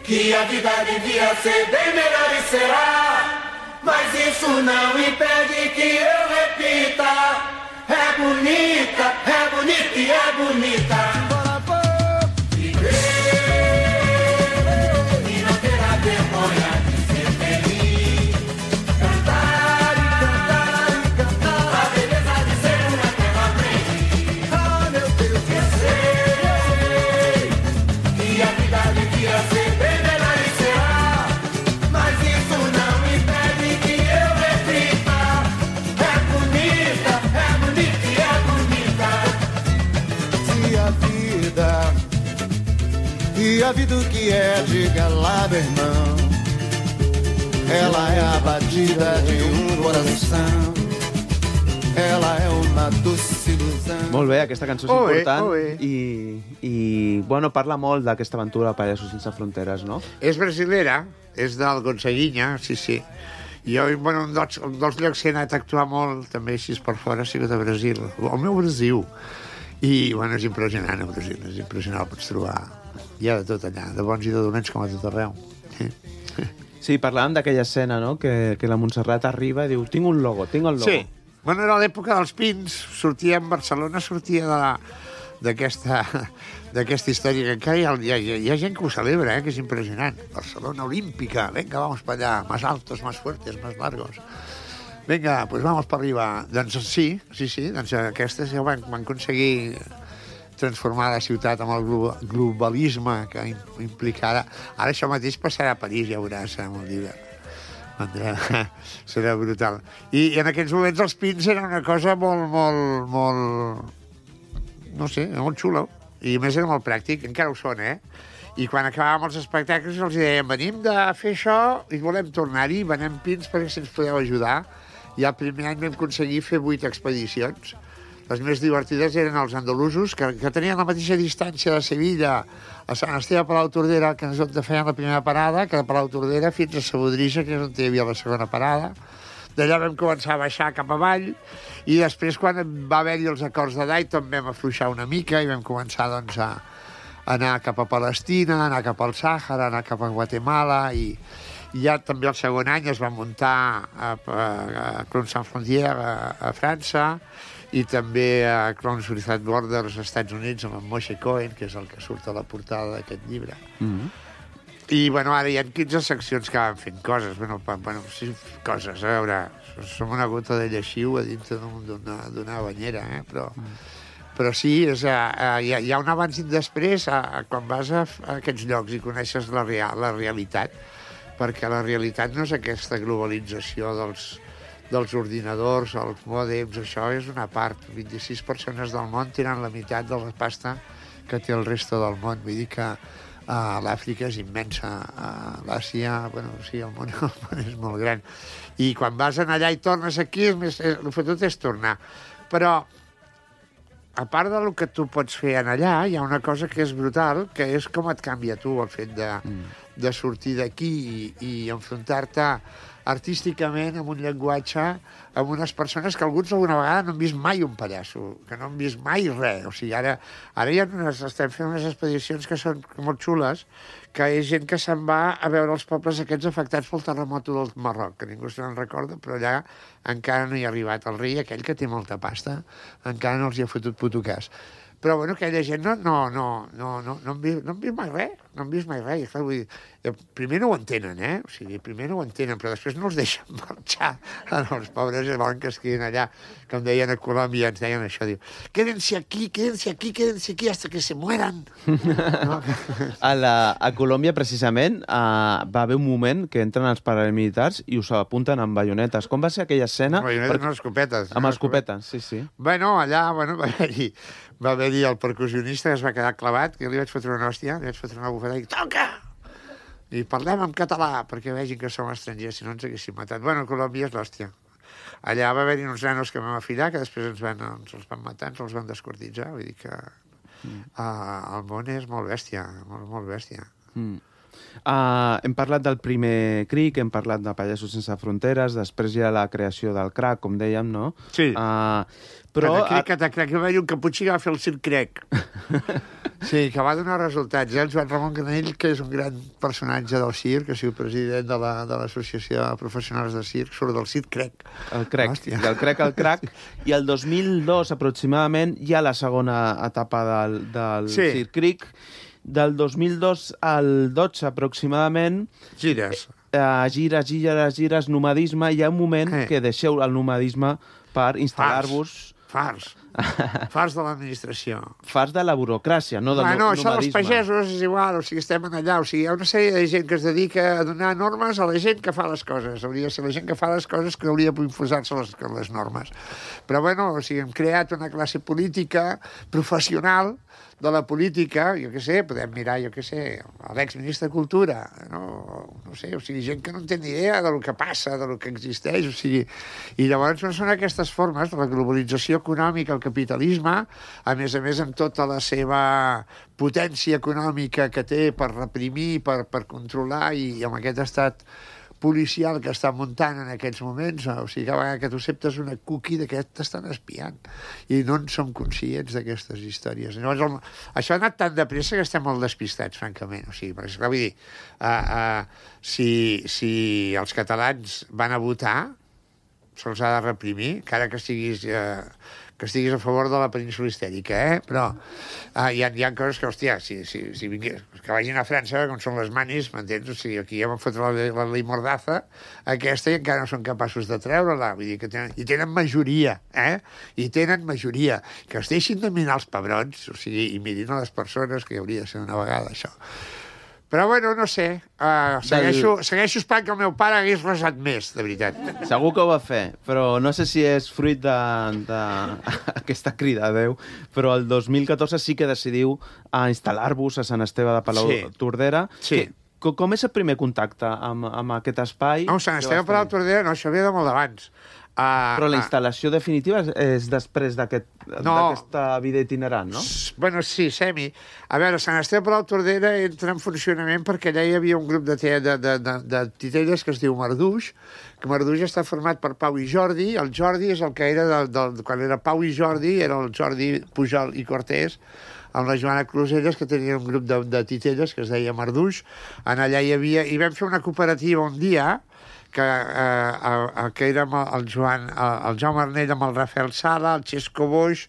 que a vida devia ser bem melhor e será, mas isso não impede que eu repita. É bonita, é bonita e é bonita. E a vida o que é, diga lá, meu irmão. Ela é a batida de um coração. Ela é una doce ilusão. Molt bé, aquesta cançó és oh, important eh, oh, eh. i, i bueno, parla molt d'aquesta aventura de Pallassos sense fronteres, no? És brasilera, és del Gonzaguinha, sí, sí. Jo, bueno, un dels, un dels llocs que he anat a actuar molt, també així per fora, ha sigut a Brasil. El meu Brasil. I, bueno, és impressionant, el Brasil, és impressionant, el pots trobar. Hi ha de tot allà, de bons i de dolents com a tot arreu. Sí, parlàvem d'aquella escena, no?, que, que la Montserrat arriba i diu, tinc un logo, tinc el logo. Sí, bueno, era l'època dels pins, sortia en Barcelona, sortia de la d'aquesta d'aquesta història, que encara hi ha, hi, ha, hi ha gent que ho celebra, eh, que és impressionant. Barcelona olímpica, venga, vamos para allá, más altos, más fuertes, más largos. Vinga, pues vamos per arriba. Doncs sí, sí, sí, doncs aquestes ja van, van aconseguir transformar la ciutat amb el globalisme que implica ara. Ara això mateix passarà a París, ja veuràs, amb el d'hivern. Serà brutal. I, I en aquests moments els pins eren una cosa molt, molt, molt... no sé, molt xulo. I a més era molt pràctic, encara ho són, eh? I quan acabàvem els espectacles els dèiem, venim de fer això i volem tornar-hi, venem pins perquè si ens podeu ajudar. I el primer any vam aconseguir fer vuit expedicions. Les més divertides eren els andalusos, que, que tenien la mateixa distància de Sevilla a Sant Esteve a Palau Tordera, que és on feien la primera parada, que de Palau Tordera fins a Sabodrissa, que és on hi havia la segona parada. D'allà vam començar a baixar cap avall, i després, quan va haver-hi els acords de Dayton, vam afluixar una mica i vam començar doncs, a anar cap a Palestina, anar cap al Sàhara, anar cap a Guatemala, i ja també el segon any es va muntar a, a, a Clowns Sans Frontières a, a França, i també a Clowns Without Borders als Estats Units amb en Moshe Cohen, que és el que surt a la portada d'aquest llibre. Mm-hmm. I, bueno, ara hi ha quinze seccions que van fent coses. Bueno, pa, bueno sí, coses, a veure, som una gota de lleixiu a dintre d'una banyera, eh? Però, mm. però sí, és, uh, hi, ha, hi ha un abans i un després a, a quan vas a, a aquests llocs i coneixes la, real, la realitat, perquè la realitat no és aquesta globalització dels, dels ordinadors, els mòdems, això és una part. vint-i-sis persones del món tenen la meitat de la pasta que té el resto del món. Vull dir que uh, l'Àfrica és immensa, uh, l'Àsia, bueno, sí, el món, el món és molt gran. I quan vas allà i tornes aquí, és més, el que tot és tornar. Però, a part del que tu pots fer allà, hi ha una cosa que és brutal, que és com et canvia tu el fet de, mm. de sortir d'aquí i, i enfrontar-te artísticament, amb un llenguatge, amb unes persones que alguns alguna vegada no han vist mai un pallasso, que no han vist mai res. O sigui, ara, ara hi ha unes, estem fent unes expedicions que són molt xules, que és gent que se'n va a veure els pobles aquests afectats pel terremot del Marroc, que ningú se'n recorda, però allà encara no hi ha arribat. El rei aquell que té molta pasta encara no els hi ha fotut puto cas. Però, bueno, aquella gent no, no, no, no, no, no, han vist, no han vist mai res, no han vist mai res. I, clar, vull dir, primer no ho entenen, eh? O sigui, primer no ho entenen, però després no els deixen marxar. Els pobres volen que es quedin allà. Com deien a Colòmbia, ens deien això, diu, quédense aquí, quédense aquí, quédense aquí, hasta que se mueran. No? A, la, a Colòmbia, precisament, uh, va haver un moment que entren els paramilitars i us apunten amb baionetes. Com va ser aquella escena? Amb baionetes, per... no, escopetes. Amb escopetes, sí, sí. Bueno, allà, bueno, va haver-hi va haver-hi el percussionista que es va quedar clavat, que li vaig fotre una hòstia, li vaig fotre una bufetada i dic, toca! I parlem en català, perquè vegin que som estrangers, si no ens haguéssim matat. Bueno, Colòmbia és l'hòstia. Allà va haver-hi uns nanos que vam afillar, que després ens, van, ens els van matar, ens els van descortitzar. Vull dir que mm. uh, el món és molt bèstia, molt, molt bèstia. Mm. Uh, hem parlat del primer CRIC, hem parlat de Pallassos Sense Fronteres, després hi ha la creació del CRAC, com dèiem, no? Sí. Uh, però... Crec que crec que va haver un caputxí que va fer el circ crec. Sí, que va donar resultats. El Joan Ramon Granell, que és un gran personatge del circ, que ha sigut president de l'Associació la, de Professionals de Circ, surt del circ crec. El crec, Hòstia. Del crec al crac. I el dos mil dos, aproximadament, hi ha la segona etapa del, del sí. circ cric. Del dos mil dos al dotze, aproximadament... Gires. Eh, gires, gires, gires, nomadisme. Hi ha un moment eh. que deixeu el nomadisme per instal·lar-vos... Fars. Fars de l'administració. Fars de la burocràcia, no del bueno, nomadisme. Això dels pagesos és igual, o sigui, estem allà. O sigui, hi ha una sèrie de gent que es dedica a donar normes a la gent que fa les coses. Hauria de ser la gent que fa les coses que hauria d'infusar-se les, les normes. Però, bueno, o sigui, hem creat una classe política professional de la política, jo què sé, podem mirar, jo què sé, l'exministre de Cultura, no? no sé, o sigui, gent que no en té ni idea del que passa, del que existeix, o sigui, i llavors no són aquestes formes de la globalització econòmica, el capitalisme, a més a més amb tota la seva potència econòmica que té per reprimir, per, per controlar, i amb aquest estat policial que està muntant en aquests moments, o sigui, cada vegada que tu acceptes una cookie d'aquest t'estan espiant i no en som conscients d'aquestes històries. Llavors, el, això ha anat tan de pressa que estem molt despistats, francament. O sigui, perquè, clar, vull dir, uh, uh, si, si els catalans van a votar, se'ls ha de reprimir, encara que siguis... Uh, que estiguis a favor de la península histèrica, eh? Però uh, hi, ha, hi ha coses que, hòstia, si, si, si vingués, que vagin a França, com són les manis, m'entens? O sigui, aquí ja van fotre la, la llei Mordaza, aquesta, i encara no són capaços de treure-la. Vull dir que tenen, i tenen majoria, eh? I tenen majoria. Que es deixin de mirar els pebrons, o sigui, i mirin a les persones, que hauria de ser una vegada, això. Però, bueno, no sé, uh, segueixo, Del... segueixo esperant que el meu pare hagués resat més, de veritat. Segur que ho va fer, però no sé si és fruit d'aquesta crida a Déu, però el dos mil catorze sí que decidiu a instal·lar-vos a Sant Esteve de Palautordera. Sí. Que, com és el primer contacte amb, amb aquest espai? No, Sant Esteve de Palautordera, no, això ve de molt d'abans. Uh, Però la instal·lació uh, definitiva és després d'aquesta no, vida itinerant, no? Bueno, sí, semi. A veure, Sant Esteve de Palautordera entra en funcionament perquè allà hi havia un grup de, de, de, de, de titelles que es diu Marduix, que Marduix està format per Pau i Jordi. El Jordi és el que era, de, de, quan era Pau i Jordi, era el Jordi Pujol i Cortés, amb la Joana Closelles, que tenia un grup de, de titelles que es deia Marduix. En allà hi havia... I vam fer una cooperativa un dia, que, eh, que érem el Joan, el Jaume Arnell amb el Rafael Sala, el Xesco Boix,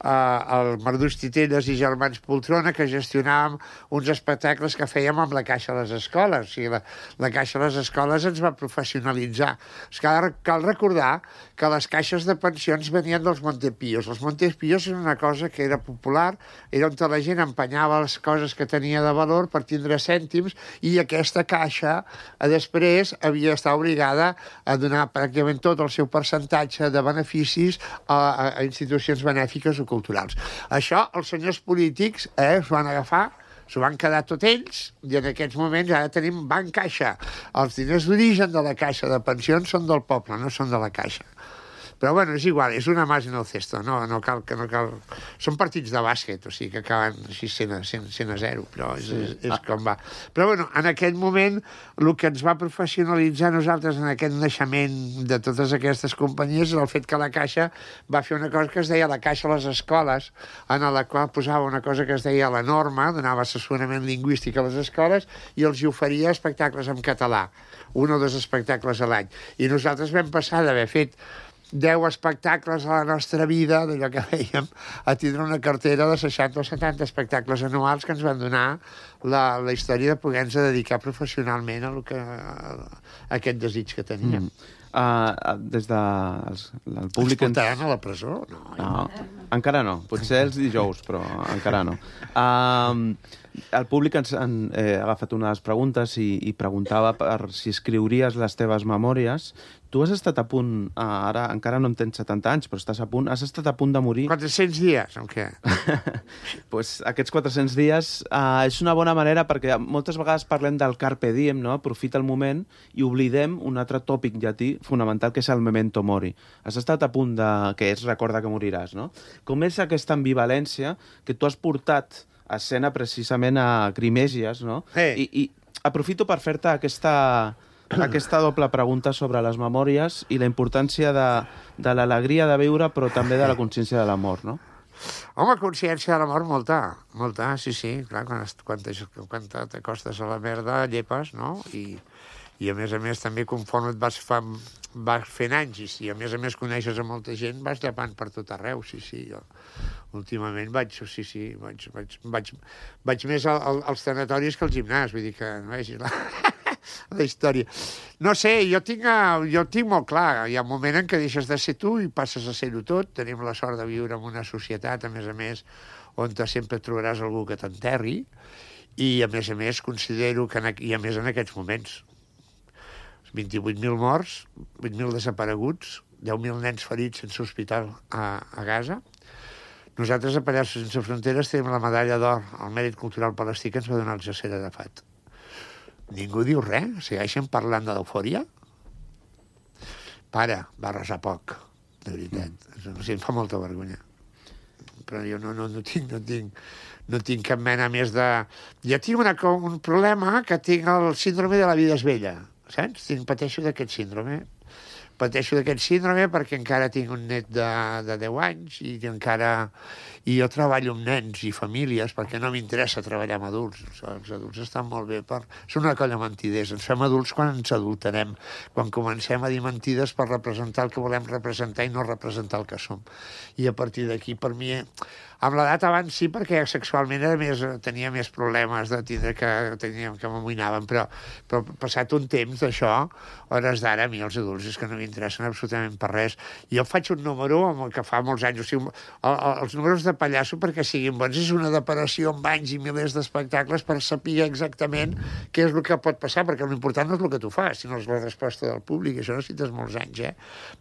eh, el Marduix Titelles i Germans Poltrona, que gestionàvem uns espectacles que fèiem amb la Caixa de les Escoles. O sigui, la, la Caixa de les Escoles ens va professionalitzar. Cal, cal recordar que les caixes de pensions venien dels Montepíos. Els Montepíos era una cosa que era popular, era on la gent empenyava les coses que tenia de valor per tindre cèntims, i aquesta caixa a després havia d'estar obligada a donar pràcticament tot el seu percentatge de beneficis a, a, a institucions benèfiques o culturals. Això els senyors polítics eh, es van agafar, s'ho van quedar tot ells, i en aquests moments ara tenim Banc Caixa. Els diners d'origen de la Caixa de Pensions són del poble, no són de la Caixa. Però, bueno, és igual, és una mas en el cesto, no, no cal... Que no cal... Són partits de bàsquet, o sigui que acaben així cent a zero, però és, sí. és, és com va. Però, bueno, en aquell moment, el que ens va professionalitzar nosaltres en aquest naixement de totes aquestes companyies és el fet que la Caixa va fer una cosa que es deia la Caixa a les escoles, en la qual posava una cosa que es deia la norma, donava assessorament lingüístic a les escoles i els hi oferia espectacles en català, un o dos espectacles a l'any. I nosaltres vam passar d'haver fet deu espectacles a la nostra vida, d'allò que fèiem, a tindre una cartera de seixanta o setanta espectacles anuals que ens van donar la, la història de poder-nos dedicar professionalment a, lo que, a, a aquest desig que teníem. Mm. Uh, des de... Els, el públic... Ens portaran ens... a la presó? No, no, encara no. Potser els dijous, però encara no. Uh, el públic ens ha eh, agafat unes preguntes i, i preguntava per si escriuries les teves memòries. Tu has estat a punt, uh, ara encara no en tens setanta anys, però estàs a punt, has estat a punt de morir... quatre-cents dies, o què? pues, aquests quatre-cents dies uh, és una bona manera perquè moltes vegades parlem del carpe diem, no? Aprofita el moment, i oblidem un altre tòpic llatí fonamental, que és el memento mori. Has estat a punt de... que és recorda que moriràs, no? Com és aquesta ambivalència que tu has portat a escena precisament a Grimègies, no? Hey. I, I aprofito per fer-te aquesta... aquesta doble pregunta sobre les memòries i la importància de, de l'alegria de viure, però també de la consciència de la mort, no? Home, consciència de la mort, molta, molta, sí, sí, clar, quan, quan t'acostes a la merda, llepes, no? I, i a més a més també conforme et vas, fa, vas fent anys, i si a més a més coneixes a molta gent, vas llepant per tot arreu, sí, sí, jo últimament vaig, sí, sí, vaig, vaig, vaig, vaig més al, al, als tanatoris que al gimnàs, vull dir que no vegis la... la història. No sé, jo tinc, jo tinc molt clar, hi ha un moment en què deixes de ser tu i passes a ser-ho tot. Tenim la sort de viure en una societat, a més a més, on sempre trobaràs algú que t'enterri, i a més a més considero que, en, i a més en aquests moments, vint-i-vuit mil morts, vuit mil desapareguts, deu mil nens ferits sense hospital a, a Gaza. Nosaltres a Pallassos Sense Fronteres tenim la medalla d'or al mèrit cultural palestí que ens va donar el Yasser Arafat. Ningú diu res? Segueixen parlant de l'eufòria? Pare, va resar poc, de veritat. Mm. O sigui, em fa molta vergonya. Però jo no, no, no, tinc, no, tinc, no tinc cap mena més de... Jo tinc una, un problema que tinc el síndrome de la vida és vella, saps? Tinc, pateixo d'aquest síndrome. Pateixo d'aquest síndrome perquè encara tinc un net de, de deu anys i encara... I jo treballo amb nens i famílies perquè no m'interessa treballar amb adults. Els adults estan molt bé per... Són una colla mentiders. Ens fem adults quan ens adulterem, quan comencem a dir mentides per representar el que volem representar i no representar el que som. I a partir d'aquí, per mi... Amb l'edat abans sí, perquè sexualment era més, tenia més problemes de tindre que, teníem, que m'amoïnaven, però, però passat un temps d'això, hores d'ara, a mi els adults és que no m'interessen absolutament per res. Jo faig un número amb el que fa molts anys, o sigui, el, el, els números de pallasso perquè siguin bons és una deparació amb anys i milers d'espectacles per saber exactament què és el que pot passar, perquè l'important no és el que tu fas, sinó és la resposta del públic, això necessites molts anys, eh?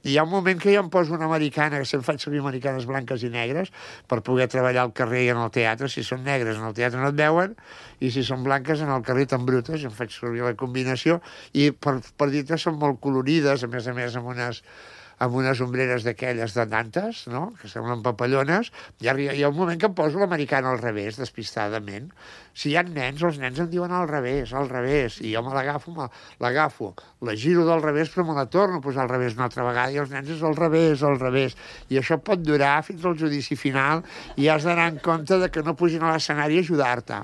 I hi ha un moment que jo em poso una americana, que sempre faig servir americanes blanques i negres, per poder treballar al carrer i en el teatre. Si són negres en el teatre no et veuen, i si són blanques en el carrer tan brutes, em faig servir la combinació, i per, per dir-te són molt colorides, a més a més amb unes amb unes ombreres d'aquelles de nantes, no?, que semblen papallones, i hi ha un moment que em poso l'americana al revés, despistadament. Si hi ha nens, els nens em diuen al revés, al revés, i jo me l'agafo, l'agafo, la giro del revés, però me la torno a posar al revés una altra vegada, i els nens és al revés, al revés. I això pot durar fins al judici final, i has d'anar en compte de que no pugin a l'escenari a ajudar-te.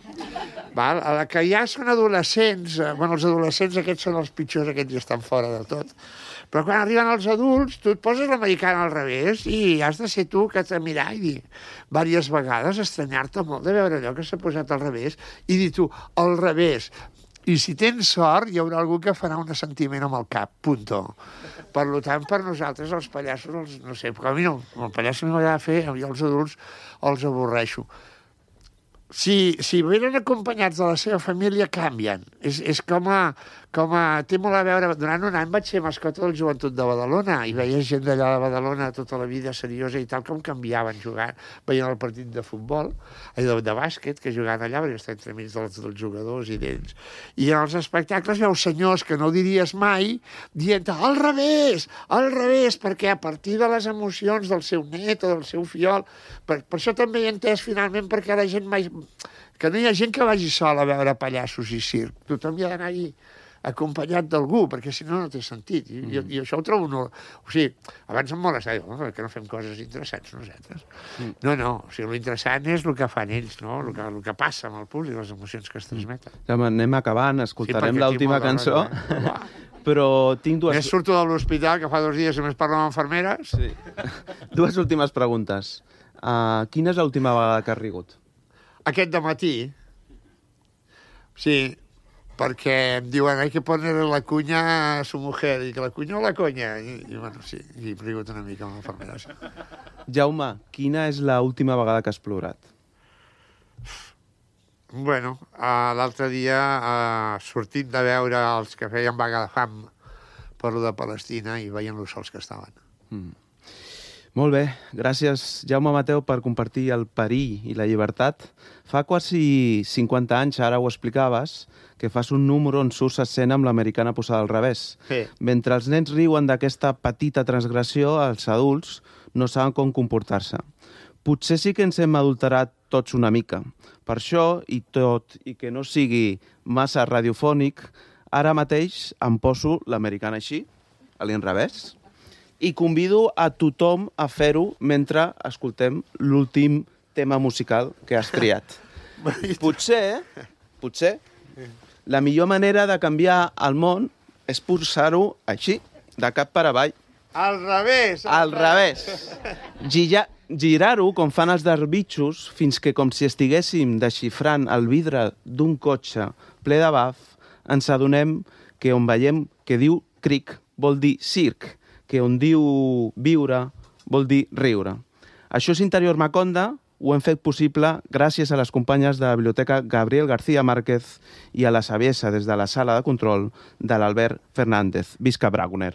Val? A la que ja són adolescents, bueno, els adolescents aquests són els pitjors, aquests ja estan fora de tot, però quan arriben els adults, tu et poses l'americana al revés i has de ser tu que t'ha mirar i dir diverses vegades, estranyar-te molt de veure allò que s'ha posat al revés i dir tu, al revés. I si tens sort, hi haurà algú que farà un assentiment amb el cap, punto. Per tant, per nosaltres, els pallassos, els, no sé, perquè a mi no, el pallasso m'agrada fer, a mi els adults els avorreixo. Si, si venen acompanyats de la seva família, canvien. És, és com, a, com a... Té molt a veure... Durant un any vaig ser mascota del Joventut de Badalona i veia gent d'allà de Badalona tota la vida seriosa i tal, com canviaven jugant. Veien el partit de futbol, de, de bàsquet, que jugaven allà, perquè està entremig dels, dels jugadors i d'ells. I en els espectacles veus senyors que no diries mai dient al revés, al revés, perquè a partir de les emocions del seu net o del seu fiol... Per, per això també he entès finalment perquè la gent mai... que no hi ha gent que vagi sol a veure pallassos i circ. Tothom hi ha d'anar-hi acompanyat d'algú, perquè si no, no té sentit. I, mm. i això ho trobo... No... O sigui, abans em molestava, no? Que no fem coses interessants nosaltres. Mm. No, no, o sigui, l'interessant és el que fan ells, no? El que, el que passa amb el públic, les emocions que es transmeten. Ja, anem acabant, escoltarem sí, l'última cançó. Eh? Però tinc dues... Més surto de l'hospital, que fa dos dies només parlo amb infermeres. Sí. Dues últimes preguntes. Uh, quina és l'última vegada que has rigut? Aquest dematí. Sí, perquè em diuen hay que poner la cuña a su mujer, i que la cuña o la conya. I, i bueno, sí, i he rigut una mica amb l'infermera. Sí. Jaume, quina és l'última vegada que has plorat? Bueno, uh, l'altre dia, uh, sortint de veure els que feien vaga de fam per lo de Palestina i veient los sols que estaven. Mm. Molt bé, gràcies Jaume Mateu per compartir el perill i la llibertat. Fa quasi cinquanta anys, ara ho explicaves, que fas un número on surts escena amb l'americana posada al revés. Sí. Mentre els nens riuen d'aquesta petita transgressió, els adults no saben com comportar-se. Potser sí que ens hem adulterat tots una mica. Per això, i tot i que no sigui massa radiofònic, ara mateix em poso l'americana així, a l'inrevés, i convido a tothom a fer-ho mentre escoltem l'últim tema musical que has triat. Potser, potser, la millor manera de canviar el món és posar-ho així, de cap per avall. Al revés! Al revés. Gira, girar-ho com fan els darbitxos fins que, com si estiguéssim desxifrant el vidre d'un cotxe ple de baf, ens adonem que on veiem que diu cric vol dir circ, que on diu viure vol dir riure. Això és Interior Maconda, ho hem fet possible gràcies a les companyes de la Biblioteca Gabriel García Márquez i a la saviesa des de la sala de control de l'Albert Fernández. Visca Brauner!